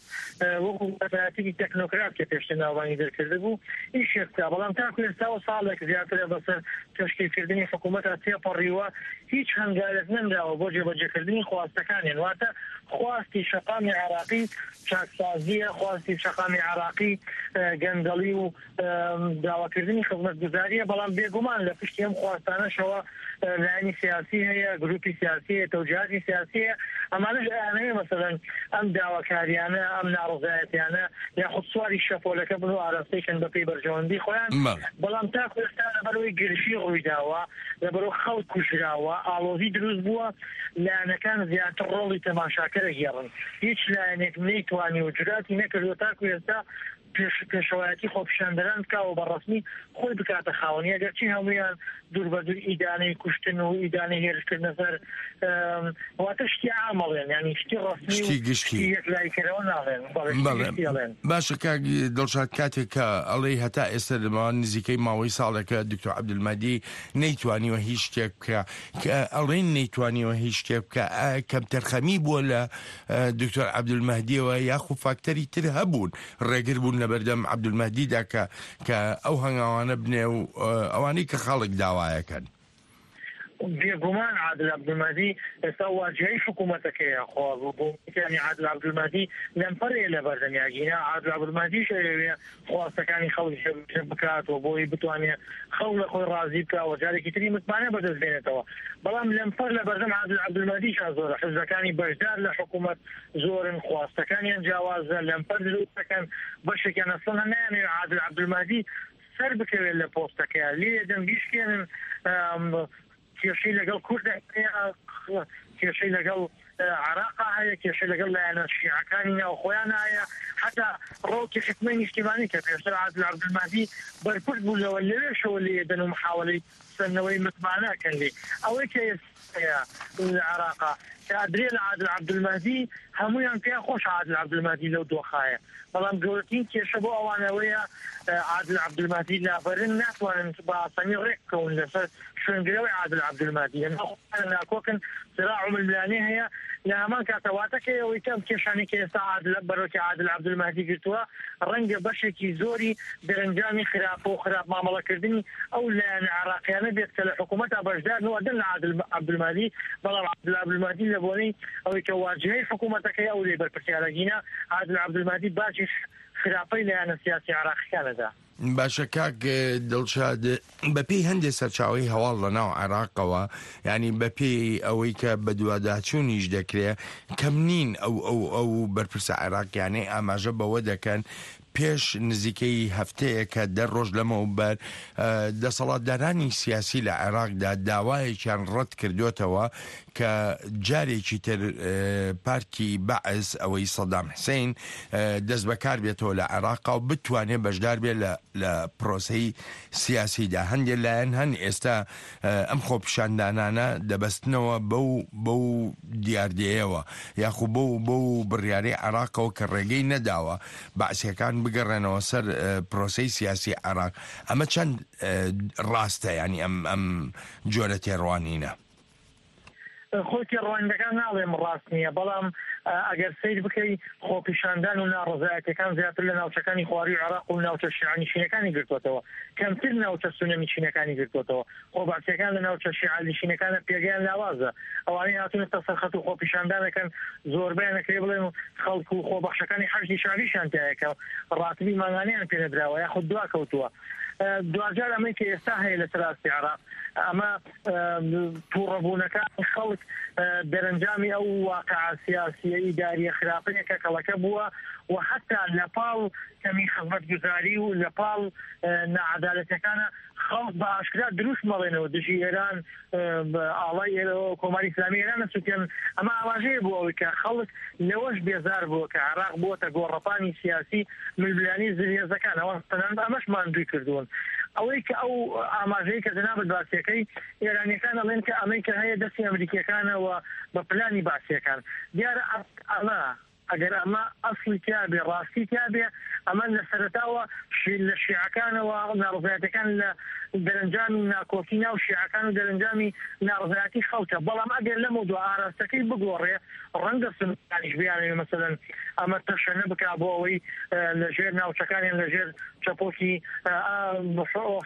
وەکو کەسایەتێکی تەکنۆکرات کە پێشتر ناوبانگی دەرکرده بوو ئیشێک بکا، بەڵام تاکو ئێستاوە ساڵێک زیاترە بەسەر تەشکیلکردنی حکوومەتە تێپەڕیوە، هیچ هەنگاوێک نەنراوە بۆ جێبەجێکردنی خواستەکانیان. واتە خواستی شەقامی عێراقی چاکسازیە، خواستی شەقامی عێراقی گەندەڵی و داواکردنی خزمەتگوزاریە، بەڵام بێگومان لە پشتی ئەم خواستانەشەوە لایەنی سیاسی هەیە، گروپی سیاسی هەیە، تەوجیهاتی سیاسی هەیە. ئەمانەش ئەیانەوێ مەسەلەن ئەم داواکاریانە، ئەم ناڕەزایەتیانە یاخود سواری شەپۆلەکە بن و ئاراستەی کەن بەپێی بەرژەوەندی خۆیان. بەڵام تاکو ئێستا لەبەرەوەی گرژی ڕوویداوە، لەبەرەوە خەڵک کوژراوە، ئاڵۆزی دروست بووە، لایەنەکان زیاتر ڕۆڵی تەماشاکەرە گێڕن. هیچ لایەنێک نەیتوانی و جوراتی نەکردووە تاکو ئێستا پێشەوایەتی خۆپیشاندەران بکا و بە ڕەسمی خۆی بکاتە خاوەنی، ئەگەرچی هەمویان دوور بە دوور ئیدانەی کوشتن و ئیدانەی هێرشکردنە سەر واتە شتی عامەڵێن، یعنی شتی ڕەسمی شتی گشتی یەکلاییکەرەوە ناڵێن. بەڵێ باشە کاک دڵشاد، کاتێک کە ئەڵێی هەتا ئێستا لەماوە نزیکەی ماوەی ساڵێکە دکتۆر عەبدولمەهدی نەیتوانیوە هیچ شتێک بکە، کە ئەڵێن نەیتوانیوە هیچ شتێک بکە، کەمتەرخەمی بووە لە دکتۆر عەبدولمەهدیەوە یاخو فاکتەری تر هەبوون ڕێگر بوون لەبەردەم عەبدولمەهدیدا کە کە ئەو هەنگاوانە بنێ و ئەوانەی کە خەڵک داوایەکەن؟ بێگومان عادل عەبدولمەهدی ئێستا واجهەی حکوومەتەکەیە، خۆ ینی عادل عەبدولمەهدی لەمپەرەیە لە بەردەم یاگینا عادل عەبدولمەهدیش ئەیەوێ خواستەکانی خەڵک جێبەجێ بکات و بۆی بتوانێت خەڵک لە خۆی ڕازی بکا و جارێکی تری متمانە بەدەست بێنێتەوە. بەڵام لەمپەر لە بەردەم عادل عەبدولمەهدیشا زۆرە، حزبەکانی بەشدار لە حکوومەت زۆرن، خواستەکانیان جیاوازە، لەمپەر دروست دەکەن، بەشێکیان ئەسڵەن نایانەوێت عادل عەبدولمەهدی سەر بکەوێت لە پۆستەکەیان، لێ دەم بیشکێنن. کێشەی لەگەڵ کورد هەیە، کێشەی لەگەڵ عێراقا هەیە، کێشەی لەگەڵ لایەنە شیعەکانی ناوخۆیان هەیە، حتا ڕەوتی حکمەی نیشتیمانی کە پێشتر عادل عەبدولمەهدی بەرپرس بوو لەوە لەوێشەوە لێدەن و محاولەی سەندنەوەی متمانەکەن لێ. ئەوەی کە ئێستا لە عێراقا کە ئەدرێ لە عادل عەبدولمەهدی هەمویان پێیان خۆش عادل عەبدولمەهدی لەو دۆخایە، بەڵام گەورەترین کێشە بۆ ئەوانەوەیە عادل عەبدولمەهدی لابەرن، ناتوانن بە ئاسانی ڕێک بکەون لەسەر شوێنگرەوەی عادل عەبدولمەهدی، لەناو ناکۆکن، صراع و ململانێ هەیە. لە هەمان کاتەواتەکەی ئەوەی کەم کێشانی کە ئێستا عادل بەرۆکی عادل عەبدولمەهدی گرتووە ڕەنگە بەشێکی زۆری دەرەنجامی خراپ و خراپ مامەڵەکردنی ئەو لایەنە عێراقیانە بێت کە لە حکوومەتە بەشدارن و ئەدەن لە عادل عەبدولمەهدی، بەڵام عادل عەبدولمەهدی لە بۆنەی ئەوەی کە واجهەی حکوومەتەکەی ئەو لێ بەرپرسیارەگینە، عادل عەبدولمەهدی باجی خراپەی لایەنە سیاسی عێراقیەکانەدا. باشە کاک دڵشاد، بەپێی هەندێک سەرچاوەی هەواڵ لە ناو عێراقەوە، ینی بەپێی ئەوەی کە بەدواداچوونیش دەکرێت، کەم نین ئەو ئەو ئەو بەرپرسە عێراقیانەی ئاماژە بەوە دەکەن پێش نزیکەی هەفتەیە کە دە ڕۆژ لەمەوبەر دەسەڵاتدارانی سیاسی لە عێراقدا داوایەکیان ڕەت کردوتەوە کە جارێکی تر پارتی بەعس ئەوەی سەدام حسین دەست بەکار بێتەوە لە عێراقا و بتوانێت بەشدار بێت لە پرۆسەی سیاسیدا. هەندێک لایەن هەن ئێستا ئەم خۆپیشاندانانە دەبەستنەوە بەو بەو دیاردەیەوە یاخو بەو بەو بڕیارەی عێراقەوە کە ڕێگەی نەداوە بەعسیەکان بگەڕێنەوە سەر پرۆسەی سیاسی عێراق. ئەمە چەند ڕاستە؟ ینی ئەم ئەم جۆرە تێڕوانینە؟ خۆی تێڕوانینەکان ناڵێم ڕاست نییە، بەڵام ئەگەر سەیر بکەی خۆپیشاندان و ناڕەزایەتیەکان زیاتر لە ناوچەکانی خواروی عێراق و ناوچە شیعەنشینەکانی گرتووەتەوە، کەمتر ناوچە سوننەنشینەکانی گرتووەتەوە. خۆبەعسیەکان لە ناوچە شیعەنشینەکانە پێگەیان لاوازە، ئەوانەی هاتوونەتە سەرخەت و خۆپیشاندانەکەن زۆربەیان ئەکرێ بڵێن خەڵک و خۆبەخشەکانی حەشدی شەعبیشیان تایە کە ڕاتبی مانگانەیان پێنەدراوە یاخود دوا کەوتووە. دواجار ئەمەی کە ئێستا هەیە لە سەراستی عێراق، ئەمە تووڕەبوونەکانی خەڵک دەرەنجامی ئەو واقع سیاسیە ئیداریە خراپەیە کە کەڵەکە بووە و حتا لە پاڵ کەمی خزمەتگوزاری و لە پاڵ ناعەدالەتەکانە خەڵک بە ئاشکرا دروست مەڵێنەوە دژی ئێران، ئاڵای کۆماری ئیسلامی ئێران سووتێن. ئەمە ئاماژەیە بۆ ئەوەی کە خەڵک لەوەش بێزار بووە کە عێراق بووەتە گۆڕەپانی سیاسی ململانێی زلهێزەکان، ئەوان تەنانەت ئەمەش ماندووی کردوون. ئەوەی کە ئەو ئاماژەیە کە جەنابت باسیەکەی، ئێرانیەکان ئەڵێن کە ئەمەی کە هەیە دەستی ئەمریکیەکانەوە بە پلانی باسیەکان. دیارە ئەمە ئەگەر ئەمە ئەسڵی تیابێ، ڕاستی تیابێ، ئەمە لە سەرەتاوە لە شیعەکانەوە ناڕەزایەتەکان لە دەرەنجامی ناکۆکی ناو شیعەکان و دەرەنجامی ناڕەزایەتی خەڵکە. بەڵام ئەگەر لەمە دو ئاراستەکەی بگۆڕێ، ڕەنگە سوننەکانیش بیانەوێ مەسەلەن ئەمە تەشەنە بکا بۆ ئەوەی لەژێر ناوچەکانیان لەژێر چەپۆکی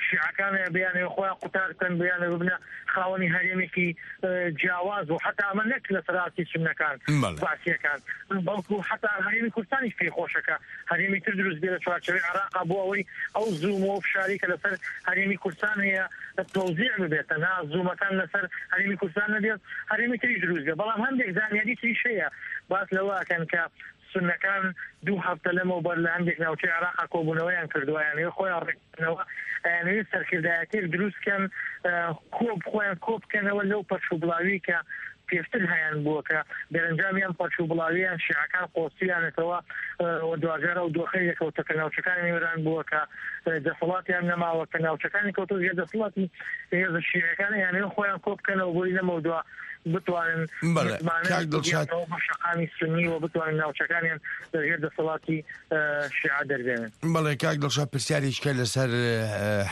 شیعەکان بیانەوێ خۆیان قوتار بکەن، بیانەوێ ببنە خاوەنی هەرێمێکی جیاواز و حتا ئەمە نەک لە سەراستی سوننەکان بەعسیەکان، بەڵکو حتا هەرێمی کوردستانیش پێی خۆشەکە هەرێمی تر دروست بێ لە چوارچێوەی عێراقا بۆ ئەوەی ئەو زووم و فشاری کە لەسەر هەرێمی کوردستان هەیە تەوزیع ببێت، تەنها زوومەکان لەسەر هەرێمی کوردستان نەبێت، هەرێمی تریش دروست بێت. بەڵام هەندێک زانیاری تریش هەیە باس لەوە ئەکەن کە سوننەکان دوو هەفتە لەمەوبەر لە هەندێک ناوچەی عێراقا کۆبوونەوەیان کردووە، یانەوێ خۆیان ڕێکبخەنەوە، ئەیانەوێ سەرکردایەتێک دروست بکەن، کۆب خۆیان کۆ بکەنەوە لەو پەرش و بڵاوی کە پێشتر هەیان بووە کە دەرەنجامی ئەم پەرش و بڵاویان شیعەکان قۆستیانەتەوە و دواجار ئەو دۆخەی لێکەوتە کە ناوچەکانی ئێران بووە کە دەسەڵاتیان نەماوە، کە ناوچەکانی کەوتە ژێر دەسەڵاتی هێزە شیعەکان، یانەوە خۆیان کۆ بکەنەوە بۆی لەمەودوا بتوانن بەڵێ کاک دڵشاد بە شەقامی سونی و بتوانن ناوچەکانیان لەژێر دەسەڵاتی شیعە دەربێنن. بەڵێ کاک دڵشاد، پرسیارێکە لەسەر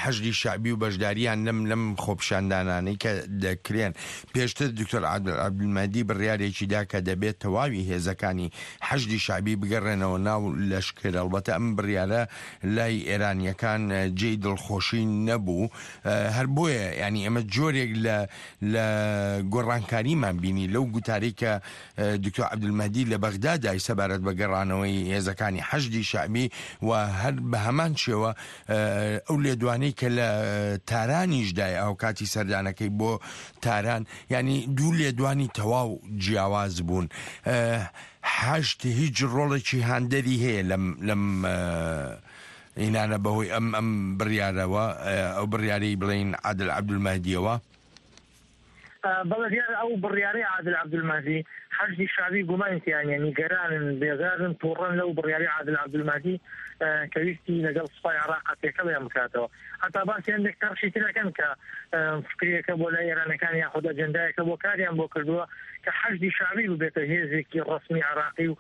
حەشدی شەعبی و بەشداریان لەم لەم خۆپیشاندانانەی کە دەکرێن. پێشتر دکتۆر عادل عەبدولمەهدی بڕیارێکی دا کە دەبێت تەواوی هێزەکانی حەشدی شەعبی بگەڕێنەوە ناو لەشکر. ئەڵبەتە ئەم بڕیارە لای ئێرانیەکان جێی دڵخۆشی نەبوو، هەر بۆیە ینی ئەمە جۆرێک لە لە گۆڕانکاریمان بینی لەو گوتارەی کە دکتۆر عەبدولمەهدی لە بەغدا دای سەبارەت بە گەڕانەوەی هێزەکانی حەشدی شەعبی و هەر بە هەمان شێوە ئەو لێدوانەی کە لە تارانیش دای ئەو کاتی سەردانەکەی بۆ تاران، ینی دوو لێدوانی تەواو جیاواز بوون. حەشد هیچ ڕۆڵێکی هاندەری هەیە لەم لەم ئینانە بەهۆی ئەم ئەم بڕیارەوە، ئەو بڕیارەی بڵێین عادل عەبدولمەهدیەوە؟ بەڵێ دیارە ئەو بڕیارەی عادل عەبدولمەهدی حەشدی شەعبی گومانی تیانە، نیگەرانن، بێزارن، تووڕەن لەو بڕیارەی عادل عەبدولمەهدی کە ویستی لەگەڵ سوپای عێراق تێکەڵیان بکاتەوە. هەتا باسی هەندێک تەڕشی ترەکەن کە فکرێکە بۆ لای ئێرانەکان یاخود ئەجەندایەکە بۆ کاریان بۆ کردووە کە حەشدی شەعبی ببێتە هێزێکی ڕەسمی عێراقی و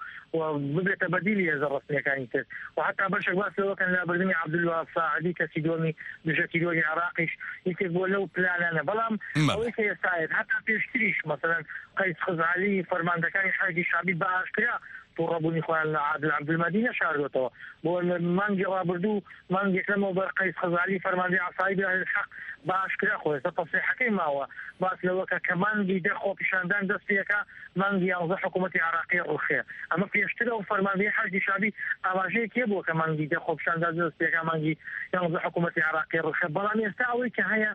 ببێتە بەدیلی هێزە ڕەسمیەکانی تر. و حتا بەشێک باس لەوەکەن لابردنی عەبدولوەهاب ساعدی کەسی دووەمی دژە تیرۆری عێراقیش یەکێک بۆ لەو پلانانە. بەڵام ئەوەی کە ئێستایت هەتا پێشتریش مەسەلەن قەیس خزعەلی فەرماندەکانی حەشدی شەعبی بە ئاشکرا تووڕەبوونی خۆیان لە عادل عەبدولمەهدی نەشاردوێتەوە. بۆ مانگی ڕابردوو مانگێک لەمەوبەر قەیس خزعەلی فەرماندەی عەسائیب ئەهل حەق بە ئاشکرا خۆی ئێستا تەسریحەکەی ماوە باس لەوە کە کە مانگی دە خۆپیشاندان دەست پێکا مانگی یانزە حکوومەتی عێراقی ڕوخێ. ئەمە پێشتر ئەو فەرماندەی حەشدی شەعبی ئاماژەیەک هەبووە کە مانگی دە خۆپیشاندان دەست پێکا مانگی یانزە حکوومەتی عێراقی ڕوخێ. بەڵام ئێستا ئەوەی کە هەیە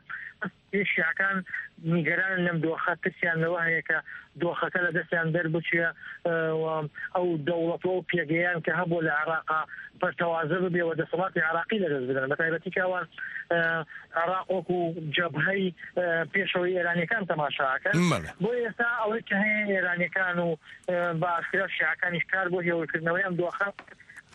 شیعەکان نیگەرانن لەم دۆخە، ترسیان لەوە هەیە کە دۆخەکە لە دەستیان دەربچێ و ئەو دەوڵەت و ئەو پێگەیان کە هەبوو لە عێراقا پەرتەوازە ببێ و دەسەڵاتی عێراقی لەدەست بدەن. بە تایبەتی کە ئەوان عێراق وەکو جەبهەی پێشەوەی ئێرانیەکان تەماشاکەن. بۆ ئێستا ئەوەی کە هەیە ئێرانیەکان و بە ئاشکرا شیعەکانیش کار بۆ هێورکردنەوەی ئەم دۆخە،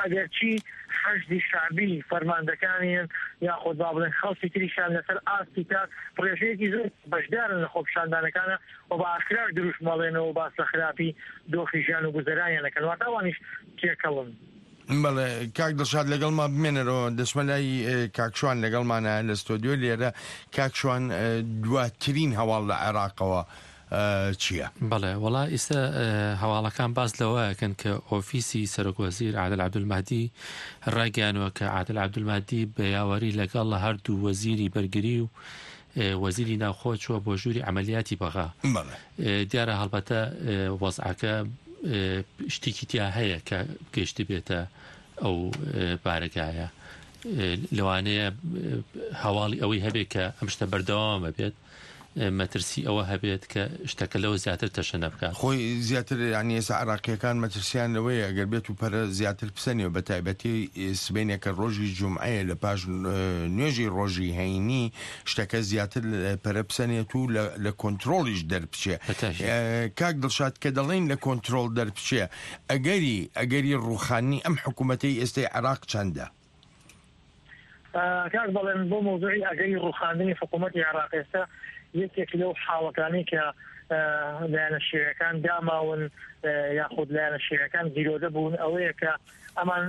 ئەگەرچی حەشدی شەعبی فەرماندەکانیان یاخود با بڵێن خەڵکی تریشان لەسەر ئاستی تاک ڕێژەیەکی زۆر بەشدارن لە خۆپیشاندانەکانە و بە ئاشکراش دروشم ئەڵێنەوە باس لە خراپی دۆخی ژیان و گوزەرانیان ئەکەن، واتە ئەوانیش تێکەڵن. بەڵێ کاک دڵشاد لەگەڵما بمێنەرەوە، دەچمە لای کاک شوان لەگەڵمانە لە ستۆدیۆ لێرە. کاک شوان، دواترین هەواڵ لە عێراقەوە چییە؟ بەڵێ وەڵا ئێستا هەواڵەکان باس لەوەکەن کە ئۆفیسی سەرۆک وەزیر عادل عەبدولمەهدی ڕایگەیانوە کە عادل عەبدولمەهدی بە یاوەری لەگەڵ هەردوو وەزیری بەرگری و وەزیری ناوخۆ چووە بۆ ژووری عەمەلیاتی بەغا. دیارە هەڵبەتە وەزعەکە شتێکی تیا هەیە کە گەشتی بێتە ئەو بارەگایە. لەوانەیە هەواڵی ئەوەی هەبێت کە ئەم شتە بەردەوامە بێت، مەترسی ئەوە هەبێت کە شتەکە لەوە زیاتر تەشەنە بکات. خۆی زیاتر یعنی ئێستا عێراقیەکان مەترسیان لەوەیە ئەگەر بێت و پەرە زیاتر بسەنێ، بە تایبەتی سبەینێکە ڕۆژی جومعەیە لە پاش نوێژی ڕۆژی هەینی شتەکە زیاتر پەرە بسەنێت و لە کۆنترۆڵیش دەربچێ. کاک دڵشاد، کە دەڵێن لە کۆنترۆڵ دەربچێ، ئەگەری ئەگەری ڕوخانی ئەم حکوومەتەی ئێستای عێراق چەندە؟ کاک بەڵێن، بۆ مەوزوعی ئەگەری ڕوخاندنی حکوومەتی عێراق ئێستا یەکێک لەو حاڵەتانەی کە لایەنە شیعەکان داماون یاخود لایەنە شیعەکان گیرۆدە بوون ئەوەیە کە ئەمان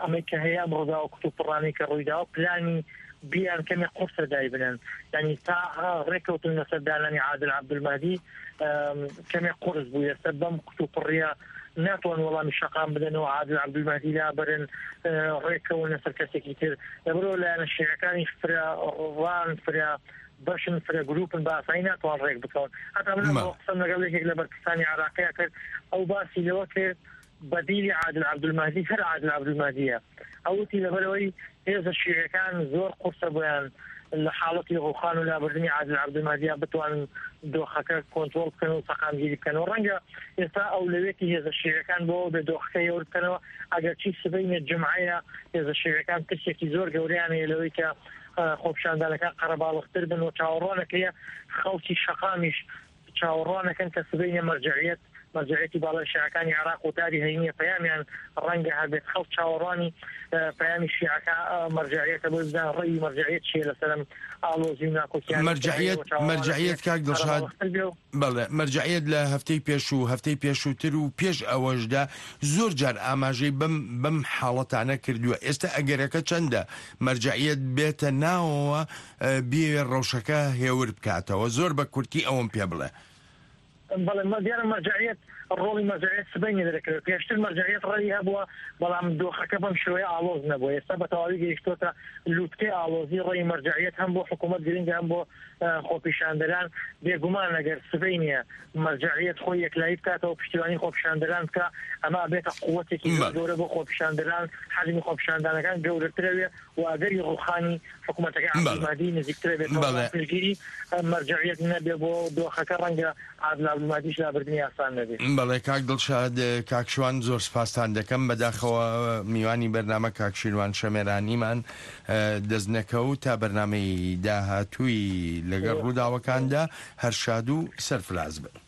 ئەمەی کە هەیە ئەم ڕووداوە کوتوپڕانەی کە ڕوویداوە پلانی بیان کەمێک قورسە دایبنن، یعنی تا ڕێکەوتن لەسەر دانانی عادل عەبدولمەهدی کەمێک قورس بوو. ئێستا بەم کوتوپڕیە ناتوان وەڵامی شەقام بدەن و عادل عەبدولمەهدی لابرن ڕێکەون لەسەر کەسێکی تر. لەبەرەوە لایەنە شیعەکانیش فرە ڕان فرە بەشن فرە گروپن بە ئاسایی ناتوان ڕێک بکەون. هەتا من قسەم لەگەڵ یەکێک لە بەرپرسانی عێراقیە کرد، ئەو باسی لەوە کرد بەدیلی عادل عەبدولمەهدی هەر عادل عەبدولمەهدیە. ئەو وتی لەبەرەوەی هێزە شیعەکان زۆر قورسە بۆیان لە حاڵەتی ڕوخان و لابردنی عادل عەبدولمەهدیە بتوانن دۆخەکە کۆنترۆڵ بکەن و سەقامگیری بکەن. و ڕەنگە ئێستا ئەولەویەتی هێزە شیعەکان بۆ بێ دۆخەکە هێور بکەنەوە، ئەگەرچی سبەینێ جومعەیە هێزە شیعەکان ترسێکی زۆر گەورەیان هەیە لەوەی کە خۆپیشاندانەکان قەرەباڵغتر بن و چاوەڕوانەکەیە خەڵکی شەقامیش چاوەڕوانەکەن کە سبەینێ مەرجەعیەت مەرجەعیەتی باڵای شیعەکانی عێراق وتاری هەینیە پەیامیان ڕەنگە هەبێت خەڵک چاوەڕوانی پەیامی شیعەکە مەرجەعیەتە بۆی بزانن ڕەئی مەرجەعیەت چییە لەسەر ئەم ئاڵۆزی و ناکۆکیانەی کە هەیە مەرجەعیەت و چاوەڕوانەکرێت مەرجەعیەت کاک دڵشاد قەرەباڵغتر بێ و بەڵێ مەرجەعیەت لە هەفتەی پێشوو هەفتەی پێشووتر و پێش ئەوەشدا زۆر جار ئاماژەی بەم بەم حاڵەتانە کردووە ئێستا ئەگەرەکە چەندە مەرجەعیەت بێتە ناوەوە بیەوێ ڕەوشەکە هێور بکاتەوە زۆر بە کورتی ئەوەم پێ بڵێ. بەڵێ دیارە مەرجەعیەت ڕۆڵی مەرجەعیەت سبەینێ دەرەکەوێت پێشتر مەرجەعیەت ڕێی هەبووە بەڵام دۆخەکە بەم شێوەیە ئاڵۆز نەبووە ئێستا بە تەواوی گەیشتۆتە لوتکەی ئاڵۆزی ڕێی مەرجەعیەت هەم بۆ حکوومەت گرنگە هەم بۆ خۆپیشاندەران بێگومان ئەگەر سبەینێ مەرجەعیەت خۆی یەکلایی بکاتەوە پشتیوانی خۆپیشاندەران بکا ئەمە ئەبێتە قوتێکی زۆر بەڵێ. گەورە بۆ خۆپیشاندەران حەجمی خۆپیشاندانەکان گەورەترەوێ و ئەگەری ڕووخانی حکوومەتەکەی بەڵێ. عەبدولمەهدی نزیکترە بێتەوە بەڵێ. بەڵام پشتگیری مەرجەعیەت نەبێ بۆ دۆخەکە ڕەنگە عادل عەبدولمەهدیش لابردنی ئاسان نەبێ. بەڵێ کاک دڵشاد کاک شوان زۆر سپاستان دەکەم بەداخەوە میوانی بەرنامە کاک شیروان شەمێرانیمان دەست نەکەوت تا بەرنامەی داهاتووی لەگەڵ ڕووداوەکاندا هەر شاد و سەرفراز بن.